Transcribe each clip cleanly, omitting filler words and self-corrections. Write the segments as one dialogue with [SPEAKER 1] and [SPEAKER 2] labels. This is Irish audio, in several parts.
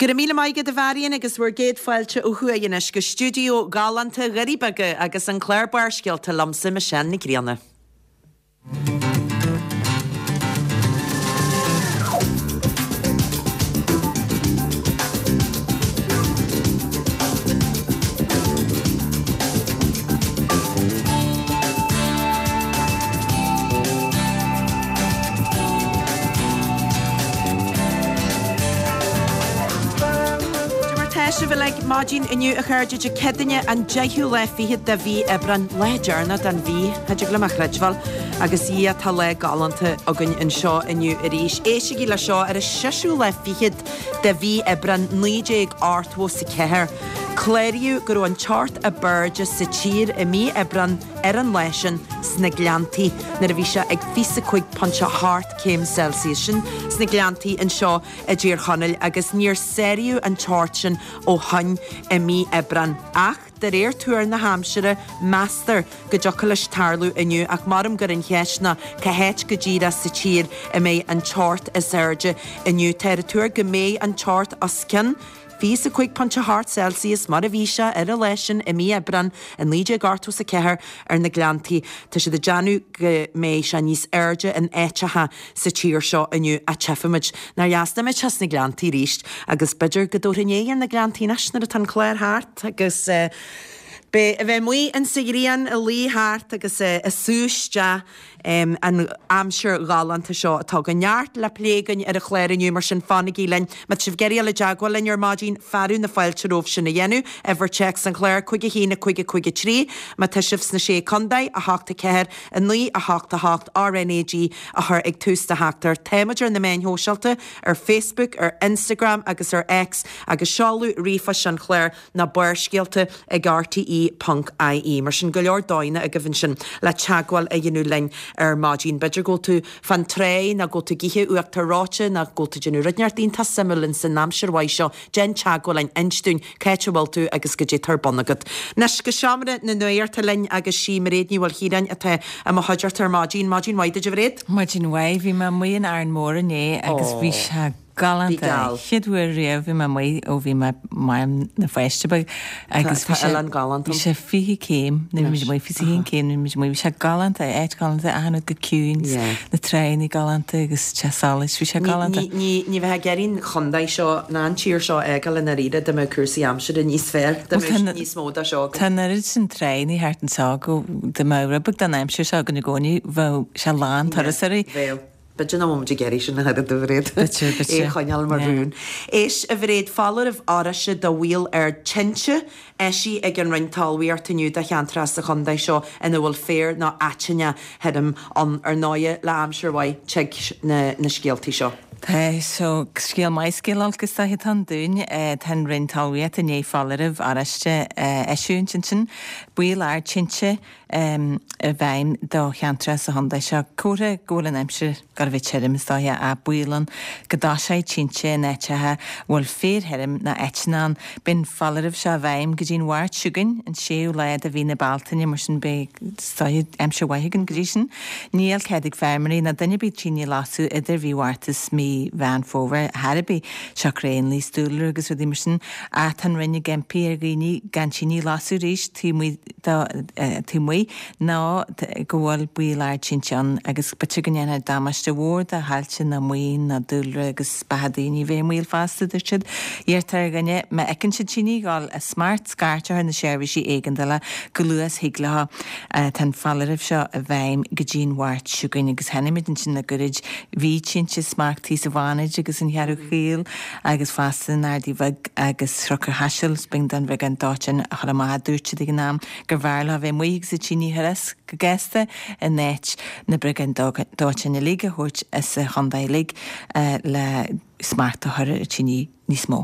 [SPEAKER 1] Go raibh míle maith agat a Mharion agus bhur gcéad fáilte ó thuaidh anois go stiúideo galánta Dhoirí Beaga agus an clár Barrscéalta liomsa Michelle Nic Grianna. Cad é mar tá sibh uilig maidin inniu a chairde Dé Céadaoine an deichiú lá fichead de mhí Aibreán, lá deireanach den mhí, cha dtig liom a chreidbheáil, agus a Dhia tá lá galánta againn anseo inniu arís. Éistigí le seo, ar an seisiú lá fichead de mhí Aibreán 1984, cláraíodh go raibh an teocht ab airde sa tír i mí Aibreán ar an lá sin sna Gleanntaí nuair a bhí sé ag 25.8 céim Celsius. Sin sna Gleanntaí anseo i dTír Chonaill agus níor sáraíodh an teocht sin ó shoin i mí Aibreán. Ach de réir tuar na haimsire, meastar go dtiocfadh leis tarlú inniu ach maram gur an cheist ná cá háit go díreach sa tír a mbeidh an teocht is airde inniu. Táthar ag tuar go mbeidh an teocht os cionn 25.8 Celsius mar a bhí sé ar an lá sin i mí Aibreán i 1984 ar na Gleanntaí. Tá siad ag déanamh go mbeidh sé níos airde in áiteacha sa tír seo inniu ach tchífimid. Nár dheas dá mbeadh sé sna Gleanntaí arís agus b'fhéidir go dtabharfainn aghaidh ar na Gleanntaí anois nuair atá an clár thart agus beidh a bheith amuigh insa ghrian ag luí thart agus ag sú isteach an aimsir ghalánta seo atá againn. Neart le plé againn ar an chlár inniu, mar sin fanaigí linn. Má tá sibh ag iarraidh dul i dteagmháil linn ar maidin, fearadh na fáilte romhaibh sin a dhéanamh. Uimhir téacs an chláir, 5 1 5 5 3. Má tá sibh sna Sé Contae, 8 4 9 8 8 RNAG a chur ag tús do theachtaireacht. Táimid ar na meáin shóisialta, ar Facebook, ar Instagram agus ar X agus seoladh ríomhphoist an chláir ná barrscéalta ag rte ponc ie. Mar sin, go leor dóigheanna agaibh ansin le teagmháil a dhéanamh linn ar maidin. B'fhéidir go bhfuil tú fán tráigh nó go bhfuil tú ag ithe uachtar reoite nó go bhfuil tú ag déanamh rud inteacht iontach suimiúil ins an aimsir mhaith seo, déan teagmháil linn, inis dúinn cá háit a bhfuil tú agus goidé atá ar bun agat. Anois go seomra na nuachta linn agus sí Mairéad Ní Mhaoilchiaráin atá i mo chuideachta ar maidin. Maidin mhaith duit a Mhairéad.
[SPEAKER 2] Maidin mhaith. Bhí mé amuigh in Árainn Mhór inné agus bhí sé
[SPEAKER 1] Galánta.
[SPEAKER 2] Galánta. Chéad uair riamh bhí mé amuigh ó bhí mé mar pháiste beag agus bhí sé bhí sé 20 céim nuair a bhí muid amuigh, 21 céim nuair a bhí muid amuigh. Bhí sé galánta, áit galánta, achan rud go ciúin, na tráigheanna galánta agus teach solais, bhí sé galánta.
[SPEAKER 1] Ní ní bheifeá ag iarraidh an chontae seo ná an tír seo a fhágáil i ndáiríre dá mbeadh cúrsaí aimsire níos fearr, dá mbeadh níos mó de seo
[SPEAKER 2] againn. Tá an oiread sin tráigheanna thart anseo go dá mbeadh rud beag den aimsir seo againn i gcónaí bheadh sé lán turasóirí.
[SPEAKER 1] Bheadh. B'fhéidir nach bhfuil muid ag iarraidh sin ach oiread, a Mhairéad.
[SPEAKER 2] B'fhéidir, b'fhéidir.
[SPEAKER 1] É a choinneáil mar rún. Éist, a Mhairéad, foláireamh oráiste do bhaol ard tinte eisithe ag an Roinn Talmhaíochta inniu do cheantracha sa chontae seo ina bhfuil féar nó aiteann thirim ann. Ar ndóighe, le aimsir mhaith, tig na scéaltaí seo.
[SPEAKER 2] Tá, so, scéal maith, scéal olc is dóiche atá ann dúinn. Tá an Roinn Talmhaíochta i ndiaidh foláireamh oráiste a eisiúint ansin. Baol ard tinte i bhfeidhm do cheantracha sa chontae seo. Comhartha go bhfuil an aimsir ag gabháil a bheith tirim, is dóiche, ach baol ann go dtoiseoidh tinte in áiteacha a bhfuil féar thirim nó aiteann ann. Beidh an foláireamh seo i bhfeidhm go dtí an Mháirt seo chugainn, an séú lá de mhí na Bealtaine, mar sin beidh, is dóiche, aimsir mhaith againn go dtí sin. Níl cead ag feirmeoirí ná duine ar bith tine a lasadh idir mhí Mhárta is mí Mheán Fómhair ar chor ar bith, siocair éanlaith is dúlra agus rudaí mar sin. Ach tá an Roinn ag impí ar dhaoine gan tine a lasadh arís taobh amuigh taobh amuigh ná go bhfuil baol ard tinte ann agus b'fhéidir go ndéanfar damáiste mhór do thailte nó maoin nó dúlra agus beatha daoine a bheith i mbaol fosta, a dúirt siad. Iarrtar ar dhaoine má fheiceann siad tine ag dul as smacht scairt a chur ar na seirbhísí éigeandála chomh luath is thig leo. Tá an foláireamh seo i bhfeidhm go dtí an Mháirt seo chugainn agus chonaic muid ansin le goirid bhí tinte as smacht thíos sa bhFánaid agus an Cheathrú Chaol agus fosta in Ardaidh Bheag agus Chnoc an Chaisil, b'éigean don bhriogáid dóiteáin a chur amach. Dúirt siad ag an am gurbh fhearr leo a bheith amuigh agus an tine a chur as go gasta in áit na briogáid dóiteáin uilig a thabhairt as an chontae uilig le smacht a chur ar an tine níos mó.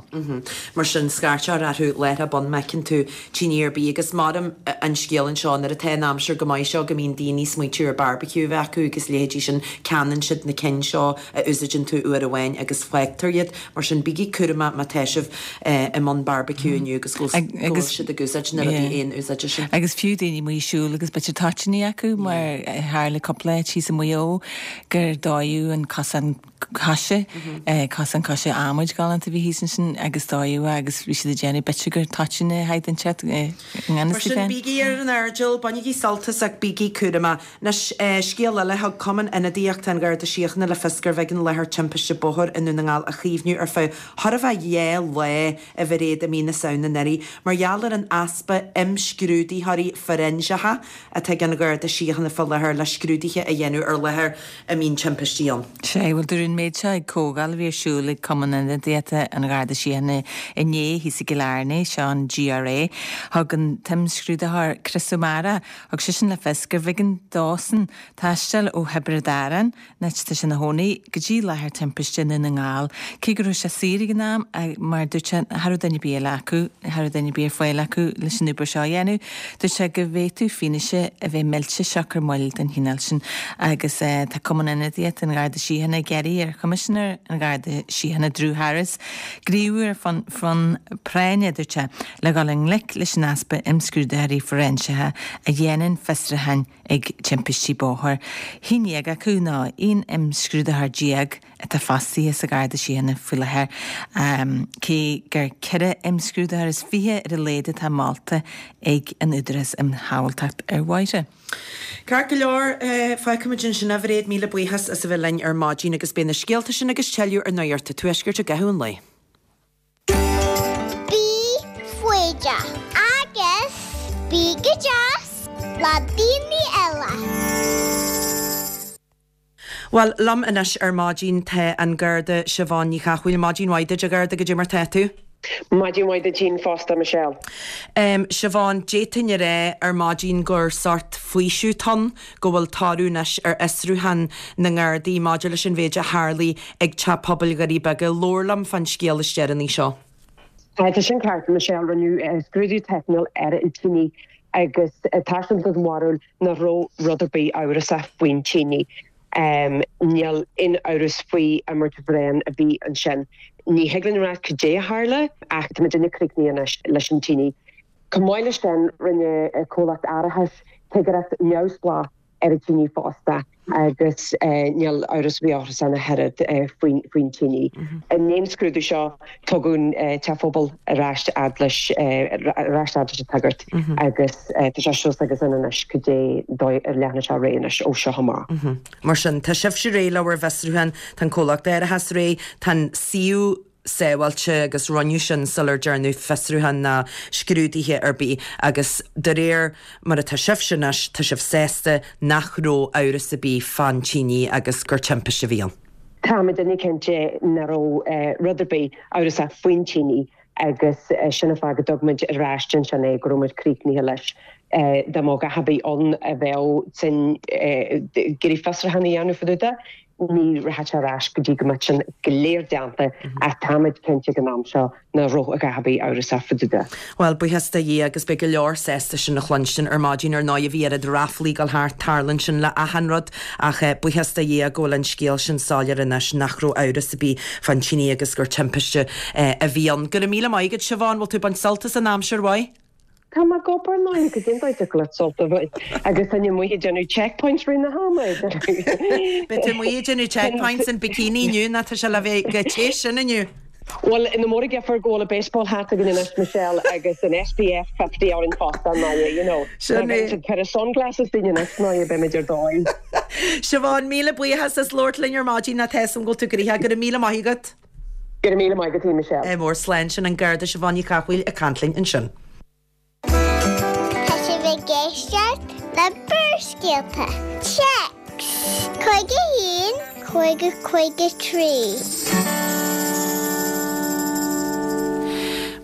[SPEAKER 1] Mar sin, scairt a chur orthu láithreach bonn má fheiceann tú tine ar bith agus maram an scéal anseo nuair atá an aimsir go maith seo go mbíonn daoine ag smaoitiú ar barbecue a bheith acu agus leithéidí sin, ceannaíonn siad na cinn seo a úsáideann tú uair amháin agus fágtar iad. Mar sin, bígí cúramach má tá sibh i mbun barbecue inniu agus go bhfuil siad ag úsáid na rudaí aon úsáide sin.
[SPEAKER 2] Agus fiú daoine amuigh ag siúl agus b'fhéidir toitíní acu mar tharla cúpla áit thíos i Maigh Eo gur dódh an cosán. Coise, cosán coise adhmaid galánta a bhí thíos ansin agus dódh é agus bhí siad ag déanamh b'fhéidir gur toiteán a thaghd inteacht i ngan
[SPEAKER 1] Mar
[SPEAKER 2] fhios
[SPEAKER 1] sin,
[SPEAKER 2] féin.
[SPEAKER 1] bígí ar an airdeall, bainigí sult as ach bígí cúramach. Anois, scéal eile, thug Cumann Ionadaíochta an Gharda Síochána le fios gurbh éigean láthair timpiste bóthair i nDún na nGall a chaomhnú ar feadh chóir a bheith 2 lá, a Mhairéad, i mí na Samhna anuraidh, mar gheall ar an easpa imscrúdaitheoirí foiréinseacha atá ag an Gharda Síochána fá láthair le scrúduithe a dhéanamh ar láthair a mbíonn timpistí ann.
[SPEAKER 2] Sea, bhuel, dúradh an méid seo ag comhdháil a bhí ar siúl ag Cumann Ionadaíochta an Gharda Síochána inné thíos i gCill Airne, seo an GRA. Thug an t-imscrúdaitheoir Chris O'Mara, thug seisean le fios gurbh éigean dósan taisteal ó Thiobraid Árann, an áit atá sé ina chónaí, go dtí láthair timpiste i nDún na nGall. Cé go raibh sé saor ag an am, mar dúirt sé, cha raibh duine ar bith eile acu, cha raibh duine ar bith ar fáil acu leis an obair seo a dhéanamh. Dúirt sé go bhféadfadh fianaise a bheith millte siocair moill den chineál sin agus tá Cumann Ionadaíochta an Gharda Síochána ag iarraidh ar Choimisinéir an Gharda Síochána Drew Harris gníomhú ar bhonn práinne, dúirt sé, le dhul i ngleic leis an easpa imscrúdaitheoirí foiréinseacha a dhéanann fiosrúcháin ag timpistí bóthair. Haon dhéag acu, nó 11 imscrúdaitheoir atá fostaithe sa Gharda Síochána faoi láthair, cé gur 24 imscrúdaitheoir ar a laghad atá molta ag an Údarás um Shábháilteacht ar Bhóithre.
[SPEAKER 1] Ceart go leor, fágfaimid ansin é, a Mhairéad, míle buíochas as a bheith linn ar maidin agus beidh na scéalta sin agus tuilleadh ar Nuacht an Tuaiscirt i gcaitheamh an lae.
[SPEAKER 3] Bí foighdeach agus bí go deas le daoine eile.
[SPEAKER 1] Bhuel, liom anois ar maidin tá an Garda Siobhán Ní Chathmhaoil. Maidin mhaith duit, a Gharda, goidé mar tá tú?
[SPEAKER 4] Maidin mhaith duit féin fosta, Michelle.
[SPEAKER 1] Siobhán, d'fhéadfainn a rá ar maidin gur sórt faoiseamh atá ann go bhfuil toradh anois ar fhiosrúchán na nGardaí maidir leis an mhéid a tharlaigh ag Teach Pobail Dhoirí Beaga. Labhair liom fán scéal is deireanaí seo.
[SPEAKER 4] Tá sin ceart, Michelle. Rinneadh scrúdú teicniúil ar an tine agus tá sé den bharúil nach raibh rud ar bith amhrasach faoin tine. Níl aon amhras faoi imirt bhréan a bhí ansin. Ní thig linn a rá cad é a tharla ach tá muidinne críochnaithe anois leis an tine. Chomh maith leis sin, rinne comhlacht árachais cigireacht neamhspleách ar an tine fosta agus níl amhras ar bith ach an oiread faoin tine. I ndiaidh an scrúdú seo, tugadh an teach pobail ar ais fhad leis ar ais fhad leis an tsagart agus tá sé suas againn anois cad é an dóigh a leanfaidh sé ar aghaidh anois ó seo amach.
[SPEAKER 1] Mar sin, tá sibhse réidh le bhur bhfiosrúchán, tá an comhlacht árachais réidh, tá an suíomh sábháilte agus rinneadh sin sular dearnadh fiosrúchán ná scrúduithe ar bith agus de réir mar atá sibhse anois, tá sibh sásta nach raibh amhras ar bith fán tine agus gur timpiste a bhí ann.
[SPEAKER 4] Tá muidinne cinnte nach raibh rud ar bith amhrasach faoin tine agus sin an fáth go dtug muid ar ais ansin é, go raibh muid críochnaithe leis. Dá mbeadh a dhath ar bith ann a bheadh tinn ag iarraidh fiosrúchán a dhéanamh fá dtaobh de, Ní rachaidh sé ar ais go dtí go mbeidh sin go léir déanta ach táimid cinnte ag an am seo nach raibh a dhath ar bith amhrasach fá dtaobh de.
[SPEAKER 1] Bhuel, buíochas do Dhia agus beidh go leor sásta sin a chluinstin ar maidin. Ar ndóigh, bhí oiread ráflaí ag dul thart, tarlaíonn sin le achan rud ach buíochas do Dhia go bhfuil an scéal sin soiléir anois nach raibh amhras ar bith fán tine agus gur timpiste a bhí ann. Go raibh míle maith agat, Siobhán, bhfuil tú ag baint sult as an aimsir mhaith?
[SPEAKER 4] Tá mé ag obair nó go dtéann dóigh le sult a bhaint agus tá mé amuigh ag déanamh checkpoints rith na hama.
[SPEAKER 1] Beidh tú amuigh ag déanamh checkpoints in bikini inniu nó tá sé le bheith chomh te sin inniu.
[SPEAKER 4] Bhuel, ní mór an deifir go bhfuil an baseball hat againn anois, Michelle, agus an SPF 50 orainn fosta, ná you know.
[SPEAKER 1] Sin é.
[SPEAKER 4] Ag cur sunglasses dínn anois ná beimid ar dóigh.
[SPEAKER 1] Siobhán, míle buíochas as labhairt linn ar maidin, tá a fhios agam go bhfuil tú gnoitheach. Go raibh míle maith agat.
[SPEAKER 4] Go raibh míle maith agat, Michelle.
[SPEAKER 1] Ádh mór, slán. Sin an Garda Siobhán Ní Chathmhaoil ag caint linn ansin.
[SPEAKER 3] Tá sibh ag éisteacht le Barrscéalta. Téacs 51 50 53.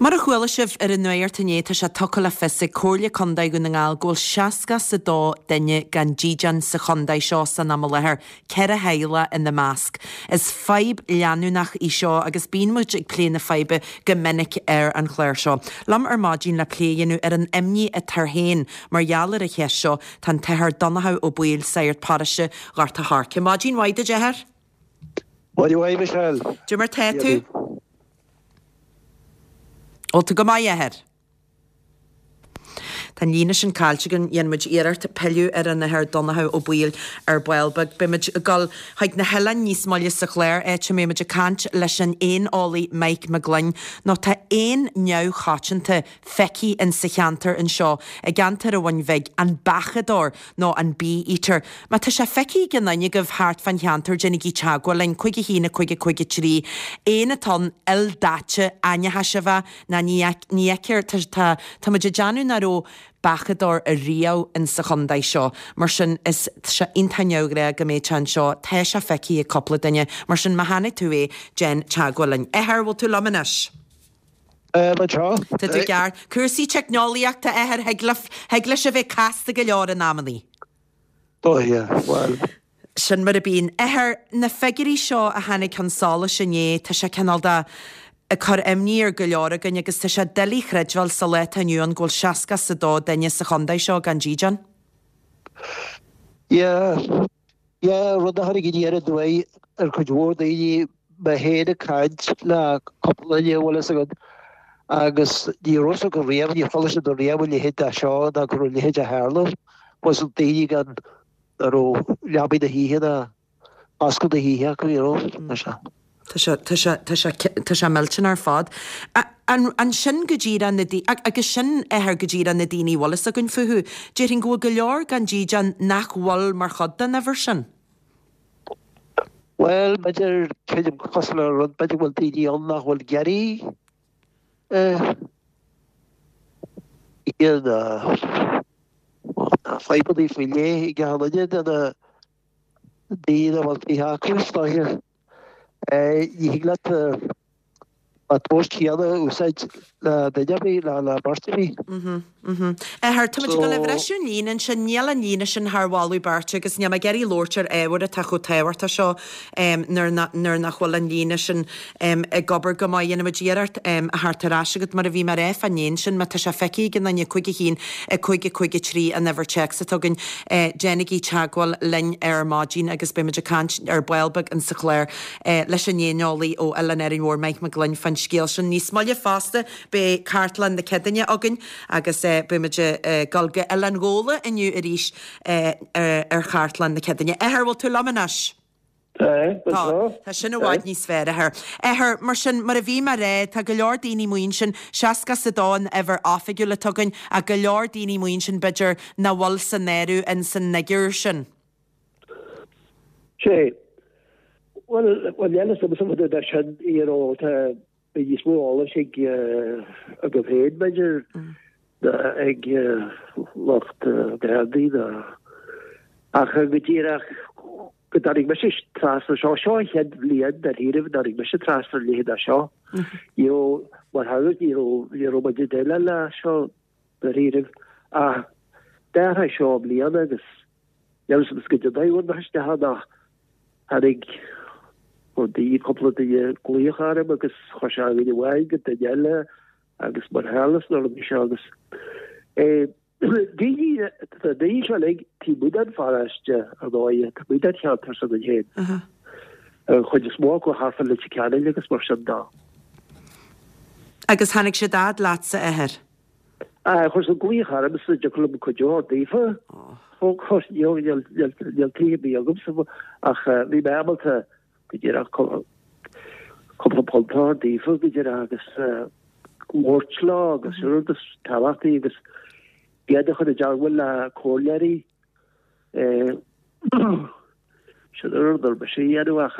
[SPEAKER 1] Mar a chuala sibh ar an nuacht inné, tá sé tugtha le fios ag Comhairle Contae Dhún na nGall go bhfuil 62 duine gan dídean sa chontae seo san am i láthair. 4 theaghlach ina measc. Is fadhb leanúnach í seo agus bíonn muid ag plé na faidhbe go minic ar an chlár seo. Liom ar maidin le plé a dhéanamh ar an imní atá air féin mar gheall ar an cheist seo tá an tAthair Donnchadh Ó Baoill, Sagart Paróiste Ghort a' Choirce. Maidin mhaith duit, a Athair.
[SPEAKER 5] Maidin mhaith, Michelle.
[SPEAKER 1] Cad é mar tá tú? Bhfuil tú go maith, a Athair? Tá an líne sin caillte againn, dhéanfaidh muid iarracht pilleadh ar an Athair Donnchadh Ó Baoill ar ball beag. Beidh muid ag dul chuig na hoileáin níos moille sa chlár, áit a mbeidh muid ag caint leis an éaneolaí Mike Mac Gloinn, nó tá éan neamhchoitianta feicthe in sa cheantar anseo, i gceantar an Bhun Bhig, an beachadóir nó an bee eater. Má tá sé feicthe ag aon duine agaibh thart fán cheantar déanaigí teagmháil linn, 5 1 5 5 3. Éan atá ann, ildaite, aincheasaimh, ná ní ní fheictear, tá tá tá muid ag déanamh nach raibh beachadóir ariamh in sa chontae seo. Mar sin is tá sé iontach neamhghnách go mbeadh sé anseo. Tá sé feicthe ag cúpla duine. Mar sin má chonaic tú é, déan teagmháil linn. Athair, bhfuil tú liom anois?
[SPEAKER 5] Anseo.
[SPEAKER 1] Tá tú ceart. Cúrsaí teicneolaíochta, a Athair, thig le, thig leis a bheith casta go leor in amannaí.
[SPEAKER 5] Oh yeah, bhuel.
[SPEAKER 1] Sin mar a bíonn. Athair, na figiúirí seo a tháinig chun solais inné, tá sé cineál de ag cur imní ar go leor againn agus tá sé doiligh a chreidbheáil sa lá atá inniu ann go bhfuil 62 duine sa chontae seo gan dídean.
[SPEAKER 5] Yeah, yeah, rud a tháinig aniar aduaidh ar chuid mhór daoine, mé féin ag caint le cúpla duine, bhfuil fhios agat, agus ní raibh fhios acu riamh, níor chuala siad riamh a leithéid de seo ná go raibh a leithéid ag tarlú. Bhfuil fhios ag daoine gan nach raibh leabaidh na hoíche ná bascadh na hoíche acu, you know, tá sé.
[SPEAKER 1] Tá sé, tá sé, tá sé, tá sé millteanach ar fad. An, an sin go díreach na daoine, agus sin Athair go díreach na daoine a bhfuil fhios againn fúthu. Déarfainn go bhfuil go leor gan dídean nach bhfuil mar chuid den uimhir sin.
[SPEAKER 5] Bhuel, b'fhéidir, creidim cosúil le rud, b'fhéidir go bhfuil daoine ann nach bhfuil ag iarraidh iad a, fadhbanna faoi leith ag achan duine de na daoine a bhfuil tithe acu, is dóiche. Ní thig leat an tomhas céanna a úsáid le duine ar bith, le beirt ar bith.
[SPEAKER 1] Athair, tá muid ag dul a bhriseadh an líne ansin, níl an líne sin thar mholadh beirte agus níl mé ag iarraidh labhairt ar ábhar atá chomh tábhachtach seo nuair nach bhfuil an líne sin ag obair go maith. Dhéanfaidh muid iarracht a theacht ar ais agat mar a bhí mé a rá fán éan sin, má tá sé feicthe ag aon duine, 5 1 5 5 3 an uimhir téacs atá againn. Déanaigí teagmháil linn ar maidin agus beidh muid ag caint ar ball beag insa chlár leis an éaneolaí ó Oileán Árainn Mhór, Mike Mac Gloinn, fán scéal sin. Níos moille fosta beidh Cartlann na Céadaoine againn agus beidh muid ag dul go Oileán Ghabhla inniu arís ar Chartlann na Céadaoine. Athair, bhfuil tú liom anois?
[SPEAKER 5] Tá, tá.
[SPEAKER 1] Tá sin i bhfad níos fearr, Athair. Athair, mar sin, mar a bhí mé a rá, tá go leor daoine amuigh ansin, 62 an uimhir oifigiúil atá againn, ach go leor daoine amuigh ansin, b'fhéidir, nach bhfuil san áireamh in san fhigiúr sin.
[SPEAKER 5] Sé. Bhuel, bhuel, níl a fhios agam an é sin, you know, tá, beidh níos mó eolais ag, agaibh féin, b'fhéidir, ná ag lucht Gardaí ná, ach go díreach go dtáinig mise trasna seo, seo an chéad bhliain dáiríribh a dtáinig mise trasna a leithéid de seo. Ní raibh, mar theanga, ní raibh, ní raibh muid ag déileáil le seo dáiríribh ach d'athraigh seo i mbliana agus Níl a fhios agam goidé an dóigh a bhfuair isteach ann ach tháinig daoine, cúpla duine glaoch orm agus chuir sé duine amháin go duine eile agus mar tharla sna rudaí seo agus daoine, tá daoine seo uilig taobh amuigh den pharóiste ar ndóigh, taobh amuigh den cheantar s'againn féin. An chuid is mó acu thart fá Leitir Ceanainn agus mar sin de.
[SPEAKER 1] Agus tháinig siad fhad leatsa, a Athair?
[SPEAKER 5] Chuir siad glaoch ormsa an dtiocfadh liom cuidiú a thabhairt daofa. Of course, níl tithe ar bith agamsa ach bhí mé ábalta go díreach cúpla punt a thabhairt daofa go díreach agus labhairt leo agus sin rud is tábhachtaí agus iad a chur i dteagmháil le comhairleoirí. Sin an rud a rinne mise a dhéanamh ach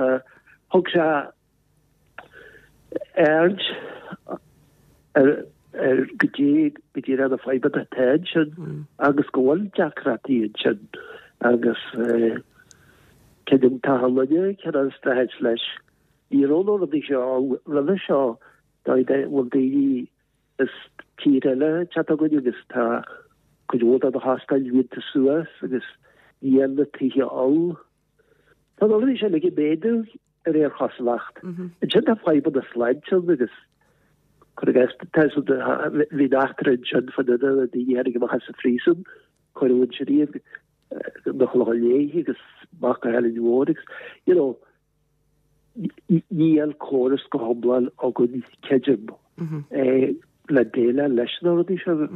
[SPEAKER 5] thug sé aird ar goidé go díreach na fadhbanna atá ansin agus go bhfuil deacrachtaí ansin agus creidim tá an duine cineál streachailt leis. Ní raibh na rudaí seo ann roimhe seo dóigh go bhfuil daoine as tír eile ag teacht chugainn agus tá cuid mhór de na hóstáin líonta suas agus níl na tithe ann. Tá na rudaí seo uilig ag méadú ar aon chosúlacht. Ansin tá fadhbanna sláinte ann agus cuir i gcás tá bhí an eachtra ansin fá duine na daoine a tháinig amach as an phríosún, cuireadh ansin iad na Clocha Léith agus amach go hEilean Mhór agus you know níl córas go hiomlán againn creidim. le déileáil leis na rudaí seo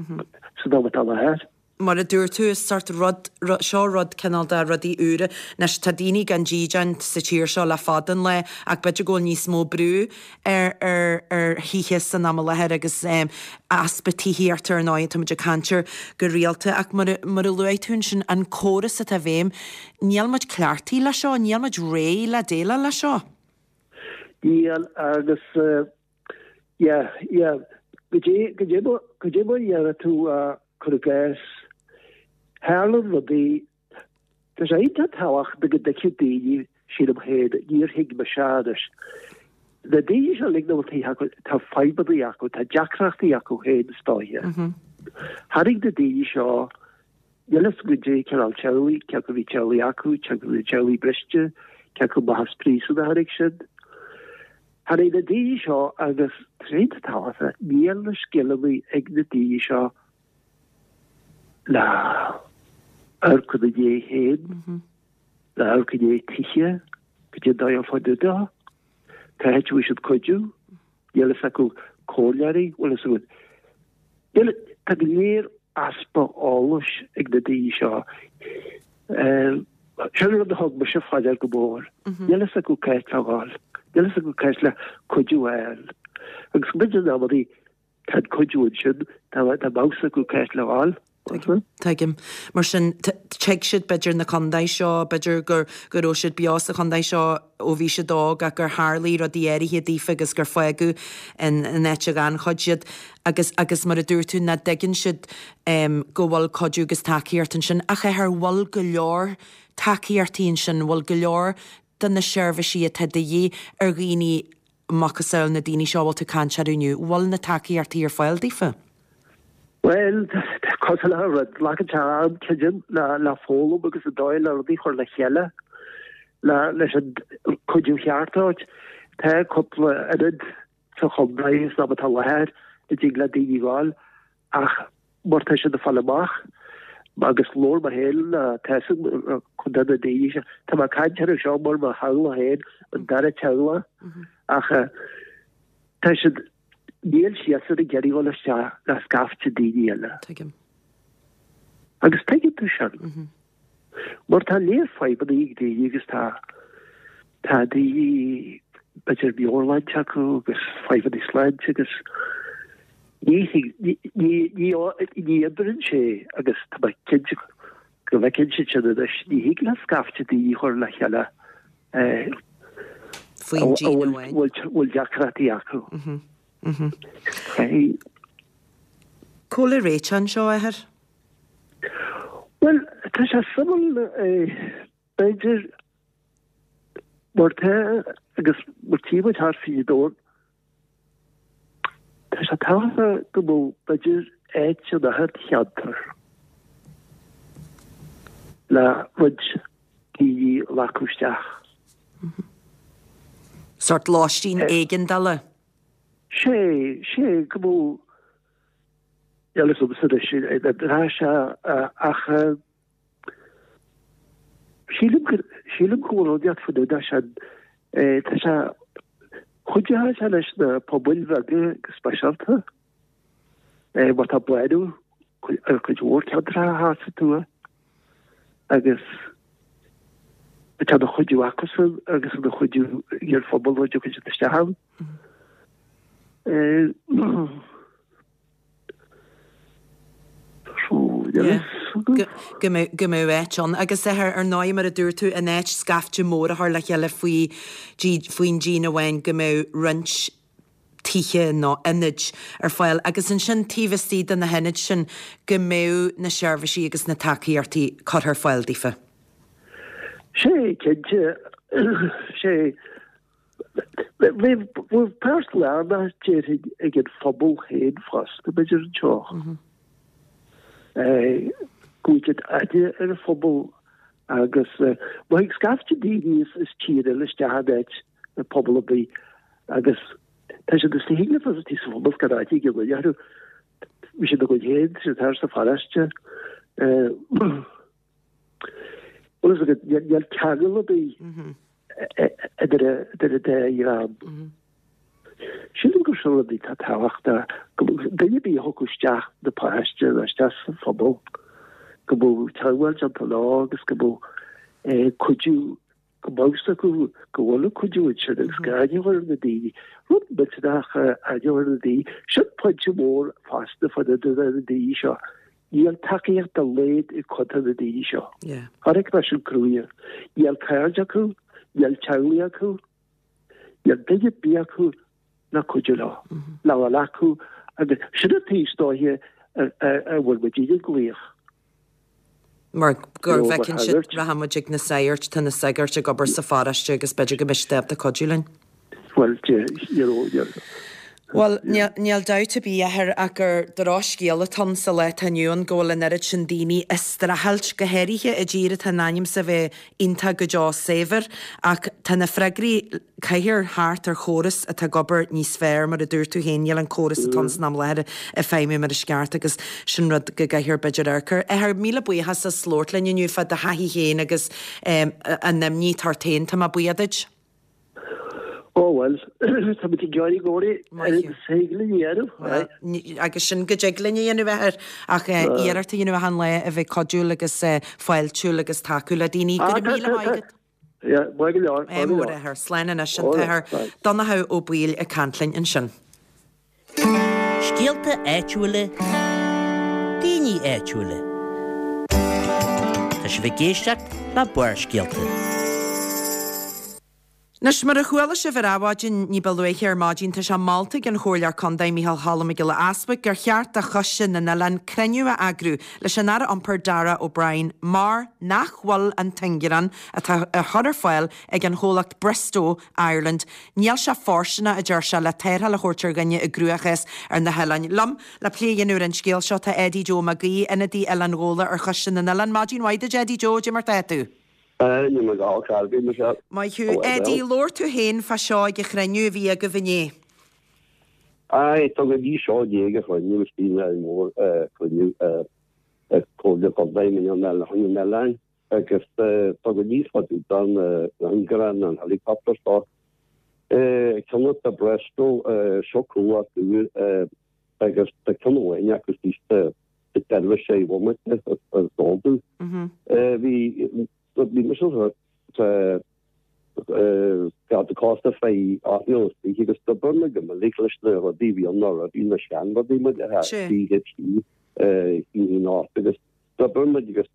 [SPEAKER 5] san am atá i láthair.
[SPEAKER 1] Mar a dúirt tú, is sort rud, seo rud cineál de rudaí úra. Anois, tá daoine gan dídean sa tír seo le fada an lá ach b'fhéidir go bhfuil níos mó brú ar, ar, ar thithe san am i láthair agus easpa tithíochta ar ndóigh, tá muid ag caint air go rialta ach mar a, mar a luaigh tú ansin, an córas atá i bhfeidhm, níl muid cleachtaithe leis seo, níl muid réidh le déileáil leis seo.
[SPEAKER 5] Níl agus yeah, yeah, go dtí, go dtí, go dtí mar a dhéanfaidh tú cur i gcás, tharla rudaí, tá sé iontach tábhachtach go dtuigfeadh daoine, sílim féin, níor thuig mise anois. Na daoine seo uilig nach bhfuil tithe acu, tá fadhbanna acu, tá deacrachtaí acu féin is dóiche. Tháinig na daoine seo, níl a fhios agam goidé cineál teaghlaigh, cé acu bhí teaghlaigh acu, cé acu bhí teaghlaigh briste, cé acu amach as príosún a tháinig siad. Tháinig na daoine seo agus tá sé iontach tábhachtach, níl na scileanna ag na daoine seo le amharc ina ndiaidh féin, le amharc i ndiaidh tithe, goidé an dóigh ar fáil dó. Cá háit a bhfaighidh siad cuidiú? Níl a fhios acu comhairleoirí, bhfuil a fhios agat. Níl, tá go léir easpa eolais ag na daoine seo. Sin rud a thug mise fá dear go mór. Níl a fhios acu cá háit le dhul. Níl a fhios acu cá háit le cuidiú a fháil. Agus go mb'fhéidir in amannaí tá an cuidiú ansin, tá tá a fhios acu cá háit le dhul.
[SPEAKER 1] Tuigim. Tuigim. Mar sin, tuig siad b'fhéidir na contae seo, b'fhéidir gur go raibh siad beo sa chontae seo ó bhí siad óg ach gur tharlaigh rudaí áirithe daofa agus gur fágadh in in áit a ghannchuid iad agus agus mar a dúirt tú nach dtuigeann siad go bhfuil cuidiú agus tacaíocht ansin ach ar bhfuil go leor tacaíochtaí ansin, bhfuil go leor de na seirbhísí atá de dhíth ar dhaoine macasamhail na daoine seo a bhfuil tú ag caint orthu inniu, bhfuil na tacaíochtaí ar fáil daofa?
[SPEAKER 5] Bhuel, cosúil le rud, glacann sé am, creidim, le foghlaim agus an dóigh le rudaí a chur le chéile le leis an cuidiú cheart a thabhairt. Tá cúpla ionad sa chontae san am atá i láthair a dtig le daoine ghabháil ach mar tá siad ag fáil amach agus labhair mé féin le tá a fhios agam cuid de na daoine seo, tá mé ag caint orthu seo mar mo theaghlach féin, an dara teaghlach ach tá siad Níl siadsan ag iarraidh dhul isteach le scaifte daoine eile.
[SPEAKER 1] Tuigim.
[SPEAKER 5] Agus tuigeann tú sin. Mar tá léir fadhbanna ag daoine agus tá tá daoine b'fhéidir meabhairshláinte acu agus fadhbanna sláinte agus ní ní ní ní ní oibreann sé agus tá mé cinnte go bhfeiceann siad sin anois ní thig le scaifte daoine a chur le chéile
[SPEAKER 1] faoin díon amháin.
[SPEAKER 5] bhfuil deacrachtaí acu.
[SPEAKER 1] Cá bhfuil an réiteach anseo, a Athair?
[SPEAKER 5] Bhuel, tá sé suimiúil, b'fhéidir, mar tá, agus mar tchí muid thart fríd an domhan, Tá sé tábhachtach go mbeadh, b'fhéidir, áit in achan cheantar le roinnt daoine a ghlacadh isteach.
[SPEAKER 1] Sórt lóistín éigeandála.
[SPEAKER 5] Sé, sé, go mbeadh, níl a fhios agamsa anois, tá sé ach Sílim go, sílim go bhfuil rud inteacht faoin údar sin. Tá sé, chuideodh sé leis na pobail bheaga go speisialta, mar tá bánú ar chuid mhór ceantracha thart sa tuath agus tá ina chuidiú acusan agus ina chuidiú ag an phobal a dtiocfaidh siad isteach ann.
[SPEAKER 1] Go mbeadh áit ann. Agus ar ndóigh, mar a dúirt tú, in áit scaifte mór a chur le chéile faoi faoin díon amháin, go mbeadh roinnt tithe nó ionaid ar fáil agus ansin taobh istigh de na hionaid sin go mbeadh na seirbhísí agus na tacaíochtaí curtha ar fáil daofa.
[SPEAKER 5] Sé, cinnte. Sé. Bheadh páirt lárnach déarfainn ag an phobal féin fosta, b'fhéidir anseo. Go bhfuil aithne ar an phobal agus má thig scaifte daoine as tír eile isteach in áit i pobal ar bith agus tá siad is thig le fostáí sa phobal gan áit ag an duine orthu. Bhí siad ina gcuid féin, tá siad thar sa pharóiste. Bhuel, is agat, níl ceangal ar bith idir an dá dhream. Sílim gur. sin rudaí atá tábhachtach, go mbeadh duine ar bith a thiocfadh isteach na paróiste nó isteach sa phobal, go mbeadh teagmháil déanta leo agus go mbeadh cuidiú, go mbeadh fhios acu go bhfuil an cuidiú ansin agus go n-aithneofar na daoine. Rud millteanach a aithneofar na daoine. Sin pointe mór fosta fá dtaobh de na daoine seo. Níl tacaíocht dá laghad ag cuid de na daoine seo. Chonaic mé sin cruaidhe. Níl cairde acu, níl teaghlaigh acu, níl duine ar bith acu le cuidiú leo, le dhul acu agus sin an taobh is dóiche a bhfuil muidinne ag glaoch.
[SPEAKER 1] Mar go bhfeiceann siad, rachaidh muid ag na sagairt, tá na sagairt ag obair sa pharóiste agus b'fhéidir go mbeidh siad ábalta cuidiú linn.
[SPEAKER 5] Bhuel, you know,
[SPEAKER 1] Bhuel, níl dabht ar bith, a Athair, ach gur drochscéal atá ann sa lá atá inniu ann go bhfuil an oiread sin daoine ag streachailt, go háirithe i dtír atá in ainm 's a bheith iontach go deo saibhir. Ach tá na freagraí, caithfear theacht ar chóras atá ag obair níos fearr, mar a dúirt tú féin, níl an córas atá ann san am láthair ag feidhmiú mar is ceart agus sin rud go gcaithfear b'fhéidir amharc air. A Athair, míle buíochas as labhairt linn inniu fá do thaithí féin agus an imní atá ort féin. Tá mé buíoch duit.
[SPEAKER 5] Ó bhuel, tá muid ag iarraidh go leor is thig linn a dhéanamh.
[SPEAKER 1] Bhuel, agus sin go dtig linn a dhéanamh, a Athair, ach iarracht a dhéanamh achan lá a bheith cuidiúil agus fáiltiúil agus tacú le daoine. Go raibh míle maith agat.
[SPEAKER 5] Yeah, maith go leor, maith go
[SPEAKER 1] leor. Ádh mór, a Athair. Slán anois, an tAthair Donnchadh Ó Baoill ag caint linn ansin.
[SPEAKER 6] Scéalta áitiúla, daoine áitiúla. Tá sibh ag éisteacht le Barrscéalta.
[SPEAKER 1] Anois, mar a chuala sibh ar Adhmhaidin ní ba luaithe ar maidin, tá sé molta ag an Chomhairleoir Contae Micheál Cholm Mac Giolla Easbuig gur cheart do Choiste na nOileán cruinniú a eagrú leis an Aire Iompair Darragh O'Brien mar nach bhfuil an t-ingearán atá á chur ar fáil ag an chomhlacht Bristow Ireland. Níl sé fóirsteanach, a deir sé, le tarrtháil a thabhairt ar dhuine i gcruachás ar na hoileáin. Liom le plé a dhéanamh ar an scéal seo tá Eddie Joe Mac Aoidh, ionadaí Oileán Ghabhla ar Choiste na nOileán. Maidin mhaith duit Eddie Joe, cad é mar tá tú?
[SPEAKER 7] Níl mé go holc ar bith, Michelle.
[SPEAKER 1] Maith thú. Eddie, labhair tú féin fá seo ag an chruinniú a bhí agaibh inné.
[SPEAKER 7] Aye, tá go dtí seo inné ag an chruinniú is bhí mór cruinniú ag Comhairle Contae na nOileán. agus tá go níos faide don ingearán an helicopter seo. Ceann atá Bristow seo comhlacht úr agus tá ceann amháin acu thíos sa tseirbhís sé bhomaite is eol domh. Bhí bhí mise sa Garda Cósta fé 28 agus d'oibir mé go minic leis na rudaí a bhí ann roimhe, na seanrudaí muid a CHC agus d'oibir muid agus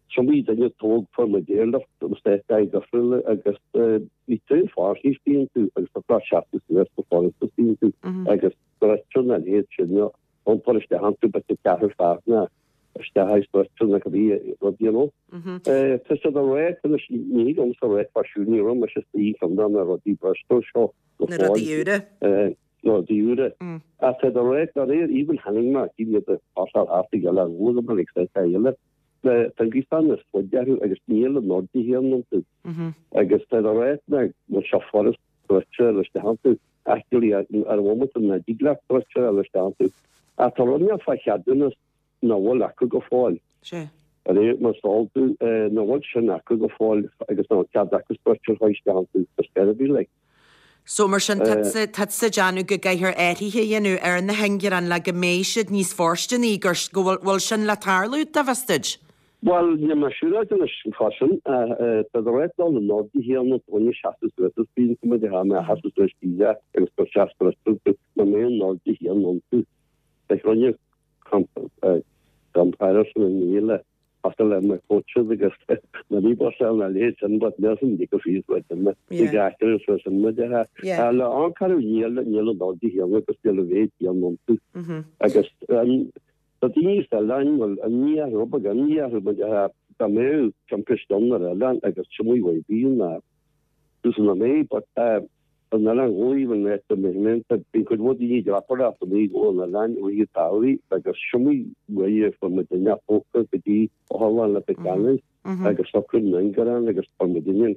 [SPEAKER 7] Is iomaí duine a tógadh fuair muid airlift agus áiteacha difriúla agus bhí tréan fáirthí istigh iontu agus tá gach seasamh suas go furasta istigh iontu agus struchtúr na leithéid sin iompar isteach iontu b'fhéidir ceathrar fear ná isteach i struchtúr na cibé rud you know. Tá siad ag rá anois ní thig liomsa a rá fá siúd ní raibh mise istigh i gceann de na rudaí Bristow seo
[SPEAKER 1] go
[SPEAKER 7] fóill. Na
[SPEAKER 1] rudaí úra.
[SPEAKER 7] Na rudaí úra. Ach tá siad ag rá dá réir even tháinig mé cín iad a phasáil thart ag Oileán Ghabhla go minic sa eile. Tá an gríosán is faide orthu agus níl an airde chéanna iontu. Agus tá a rá nach bhfuil sé furast stretcher a isteach iontu. Actually, ar an bhomaite nach dtig leat stretcher a isteach iontu. Ach tá rud inteacht fá cheadúnas nach bhfuil acu go fóill.
[SPEAKER 1] Sea.
[SPEAKER 7] De réir mar is eol domh, nach bhfuil sin acu go fóill agus nach bhfuil cead acu stretcher a chur isteach iontu sa seirbhís like.
[SPEAKER 1] So mar sin, tá tusa ag déanamh go gcaithfear athruithe a dhéanamh ar na hingearáin le go mbeidh siad níos fóirsteanaí, gur, go bhfuil, bhfuil sin le tarlú, dá bhfios duit?
[SPEAKER 7] Bhuel, níl mé siúráilte anois fá sin. Tá de réir dul in airde chéanna, duine seasamh suas is bíonn muid a mé sheasamh suas síos agus gur seas gur na mé an airde chéanna iontu. Beidh rinne comparison an níle Cosúil le na coaches agus na ribosa na leithéid sin but níl san go fios le duine ag aistear is sin muid a le an carú níl níl an dul chéanna agus níl a mhéid chéanna iontu agus tá daoine sa oileán bhfuil imní orthu rud beag imní orthu muid a dá mbeadh timpiste ann ar oileán agus sin í bhí na Tús na mé but an oileán Ghabhla an áit a mbeidh bíonn cuid mhór daoine ag dreapadóireacht amuigh ó an oileán i rith an tsamhraidh agus sin í uair a fuair muid duine tógtha go dtí otharlann Leitir Ceanainn agus socrú na n-ingearán agus fuair muid duine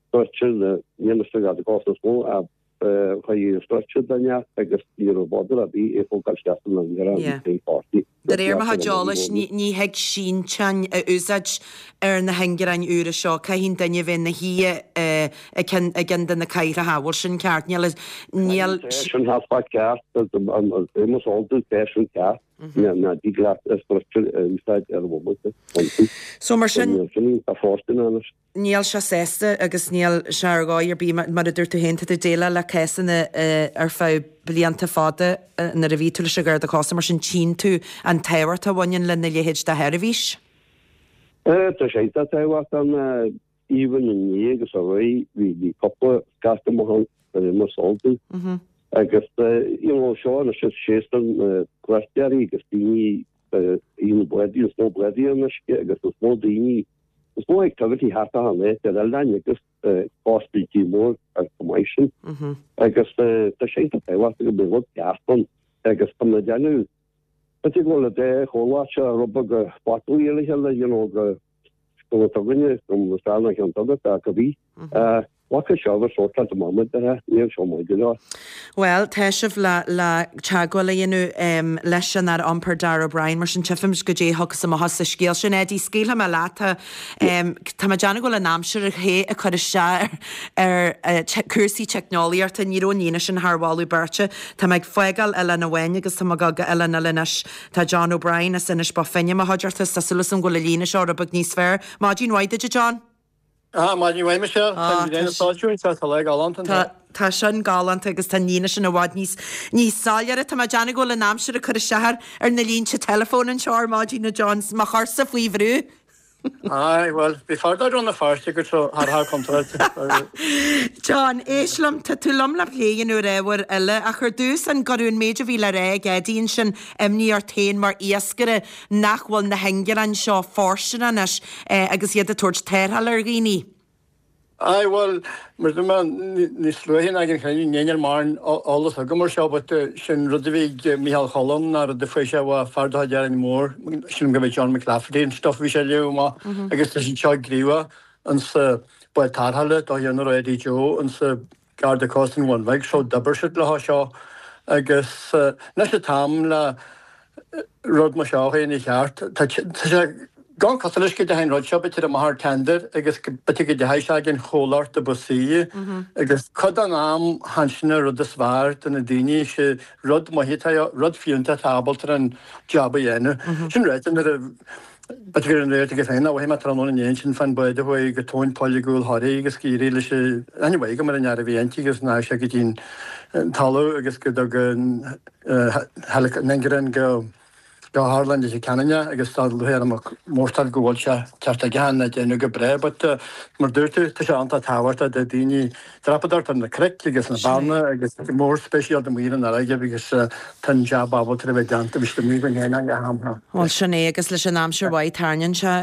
[SPEAKER 7] stretcher na níl mise i gcás is mó a. Chuir an struchtúr den neart agus ní raibh bother ar bith é thógáil isteach san ingearán
[SPEAKER 1] Yeah.
[SPEAKER 7] bhí páirtí.
[SPEAKER 1] De réir mo chuid eolais, ní thig sínteáin a úsáid ar na hingearáin úra seo. Caithfidh an duine a bheith ina shuí i gceann i gceann de na cathaoireacha, an bhfuil sin ceart? Níl, níl.
[SPEAKER 7] Tá sin half ceart, más eol duit tá sin ceart, ná dtig leat struchtúr a úsáid ar bhomaite iontu.
[SPEAKER 1] So mar sin.
[SPEAKER 7] Sin tá fóirstean anois.
[SPEAKER 1] Níl sé sásta agus níl sé ar dhóigh ar bith, mar a dúirt tú féin, tá tú ag déileáil le cásanna ar feadh blianta fada nuair a bhí tú leis an Gharda Cósta, mar sin tchíonn tú an tábhacht a bhaineann lena leithéid de sheirbhís.
[SPEAKER 7] Tá sé iontach tábhachtach, even inné agus aréir bhí cúpla scairt amach ann ar imeall Salty agus you know seo anois is séasúr na cuairteoirí agus daoine you know bádaí is mó bádaí an uisce agus is mó daoine Is mó activity thart achan áit ar oileáin agus cóstaí tír mór ar chomh maith sin. Agus tá sé iontach tábhachtach go mbeidh rud ceart ann agus tá mé ag déanamh b'fhéidir go bhfuil an dá chomhlacht seo rud beag botúin le chéile you know go go bhfuil againne go bhfuil an cheann agat ach go bhí. Bhfaca seo agus sórt de mama de níl seo maith go leor.
[SPEAKER 1] Bhuel, tá sibh le le teagmháil a dhéanamh leis an Aire Iompair Darragh O'Brien, mar sin tchífimid goidé a thiocfas amach as an scéal sin. Eddie, scaoilfidh mé leat. Tá tá mé ag déanamh go bhfuil an aimsir a théith ag cur isteach ar ar cúrsaí teicneolaíochta. Ní raibh an líne sin thar mholadh beirte. Tá mé ag fágáil Oileán amháin agus tá mé ag dul go oileán eile anois. Tá John O'Brien as Inis Bó Finne i mo chuideachta. Tá súil agam go bhfuil an líne seo rud beag níos fearr. Maidin mhaith duit, a John.
[SPEAKER 8] Ah, maidin mhaith Michelle. Tá an ghrian ag soilsiú anseo, tá lá galánta anseo.
[SPEAKER 1] Tá sin galánta agus tá an líne sin i bhfad níos níos soiléire. Tá mé ag déanamh go bhfuil an aimsir ag cur isteach ar ar na línte teileafóin anseo ar maidin, a John, 's mo chursa faoi bhrú.
[SPEAKER 8] Aye, bhuel, bhí fear dá raibh na Feirste go tro thar thar contráilte.
[SPEAKER 1] John, éist liom, tá tú liom le plé a dhéanamh ar ábhair eile, ach ar dtús, an gcuireadh an méid a bhí le rá ag Eddie ansin imní ort féin mar iascaire nach bhfuil na hingearáin seo fóirsteanach anois agus iad ag tabhairt tarrtháil ar dhaoine.
[SPEAKER 8] Aye, bhuel, mar dúirt mé níos luaithe ná ag an chruinniú, níl mórán eolas agam ar seo but sin rud a bhí ag Micheál Choilm ná rud a fuair sé ó fear de chuid Árainn Mhór, sílim go bhí John McClafferty an stuff a bhí sé a léamh amach agus tá siad seo gníomhach insa bád tarrthála do dhéanamh Eddie Joe insa Garda Cósta an Bhun Bhig so d'oibir siad leo seo agus anois an t-am le rud mar seo a dhéanamh cheart. Tá sé gan cosúil leis go dteachaidh an rud seo b'fhéidir amach ar tender agus b'fhéidir go dteachaidh sé ag an chomhlacht a ba saoire agus cuid den am chan sin an rud is fearr do na daoine sé rud maith atá rud fiúntach atá ábalta an jab a dhéanamh. Sin ráite nuair a B'fhéidir gur an réalt aige féin a mhothaigh mé tráthnóna inné ansin fán bhád a chuaigh go tóin poill i gCúil Thoraí agus gur éirigh leis an anyway go mar an fhear a bhí inti agus ndeachaigh sé go dtí an talamh agus go dtug an ingearán go go hArlann Leitir Ceanainn é agus tá lúcháir orm mórtáil go bhfuil sé ceart aige an déanamh go breá but mar dúirt tú tá sé iontach tábhachtach do daoine dreapadóireacht ar na cnoic agus na beanna agus go mór speisialta amuigh ar an fharraige agus tá an jab ábalta a bheith déanta bhí siad amuigh go ndéanann go ham.
[SPEAKER 1] Bhuel sin é agus leis an aimsir mhaith tarraingíonn sé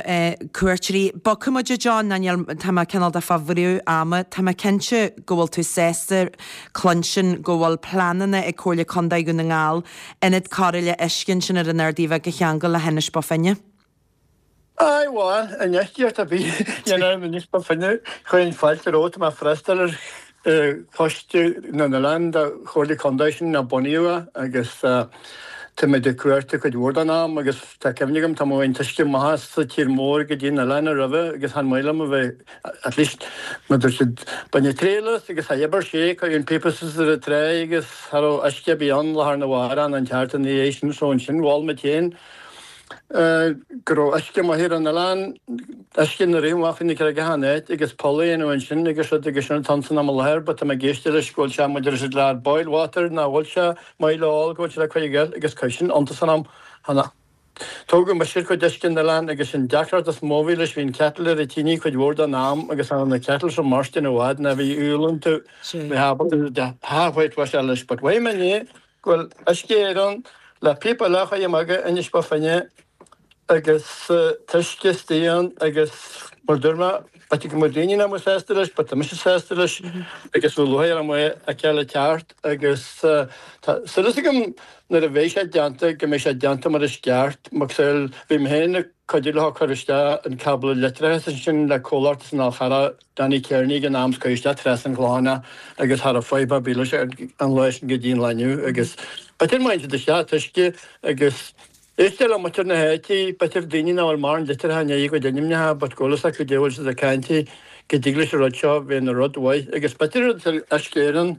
[SPEAKER 1] cuairteoirí. Bogfaidh muid a John, ná níl, tá mé cineál de fá bhrú ama, tá mé cinnte go bhfuil tú sásta cluinstin go bhfuil pleananna ag Comhairle Contae Dhún na nGall ionad cóireála uisce ansin ar an Ardaidh Bheag a cheangal le hInis Bó Finne.
[SPEAKER 8] Aye, bhuel, infheistíocht ar bith a dhéanamh in Inis Bó Finne, chuirfinn fáilte romhat, tá mé ag freastal ar Choiste na nOileán de Chomhairle Contae sin a bunaíodh é agus táimid ag cuartú cuid mhór den am agus tá cuimhne agam tá mo an t-uisce amach as sa tír mór go dtí an oileán roimhe agus chan maith liom a bheith at least mar dúirt siad baineadh triail as agus cha oibir sé, cuireadh an píopa suas ar an tráigh agus cha raibh uisce ar bith ann lá arna mhárach an tseachtain ina dhiaidh sin so ansin mhol muid féin go raibh uisce maith ar an oileán, uisce ina rith amach faoi na creagacha an áit agus poll a dhéanamh ansin agus rud agus sin atá ann san am i láthair but tá mé ag éisteacht leis go bhfuil sé maidir leis an lear boil water nach bhfuil sé maith le ól go bhfuil sé le cuid eile agus cuid sin iontas orm cheana. Tógadh mise ar chuid uisce an oileáin agus an deacracht is mó a bhí leis bhí an kettle ar an tine cuid mhór den am agus tháinig na kettle seo mairstean i bhfad ná bhí úll iontu bhí ábalta de half white wash leis but mhaígh mé inné go bhfuil Uisce Éireann le píopa eile a chur amach go Inis Bó Finne. agus t-uisce istigh ann agus mar dúirt mé, b'fhéidir go mbeadh daoine nach mbeadh sásta leis but tá mise sásta leis agus bheadh lúcháir orm é a fheiceáil ag teacht agus tá súil agam nuair a bheidh sé déanta go mbeidh sé déanta mar is ceart. Mar bhí mé féin ag cuidiú leo cur isteach an cábla leictreachais ansin le comhlacht as an Fhál Charrach, Danny Kearney ag an am 's cuireadh isteach trasna an Chlocháin é agus cha raibh fadhb ar bith leis an lá sin go dtí an lá inniu agus b'fhéidir má théann siad isteach t-uisce agus Éistear le muintir na háite, b'fhéidir daoine nach bhfuil mórán litrithe i ndiaidh a gcuid ainmneacha but go bhfuil fhios acu goidé a bhfuil siad ag caint faoi, go dtig leis an rud seo bheith ina rud mhaith agus b'fhéidir rud Uisce Éireann.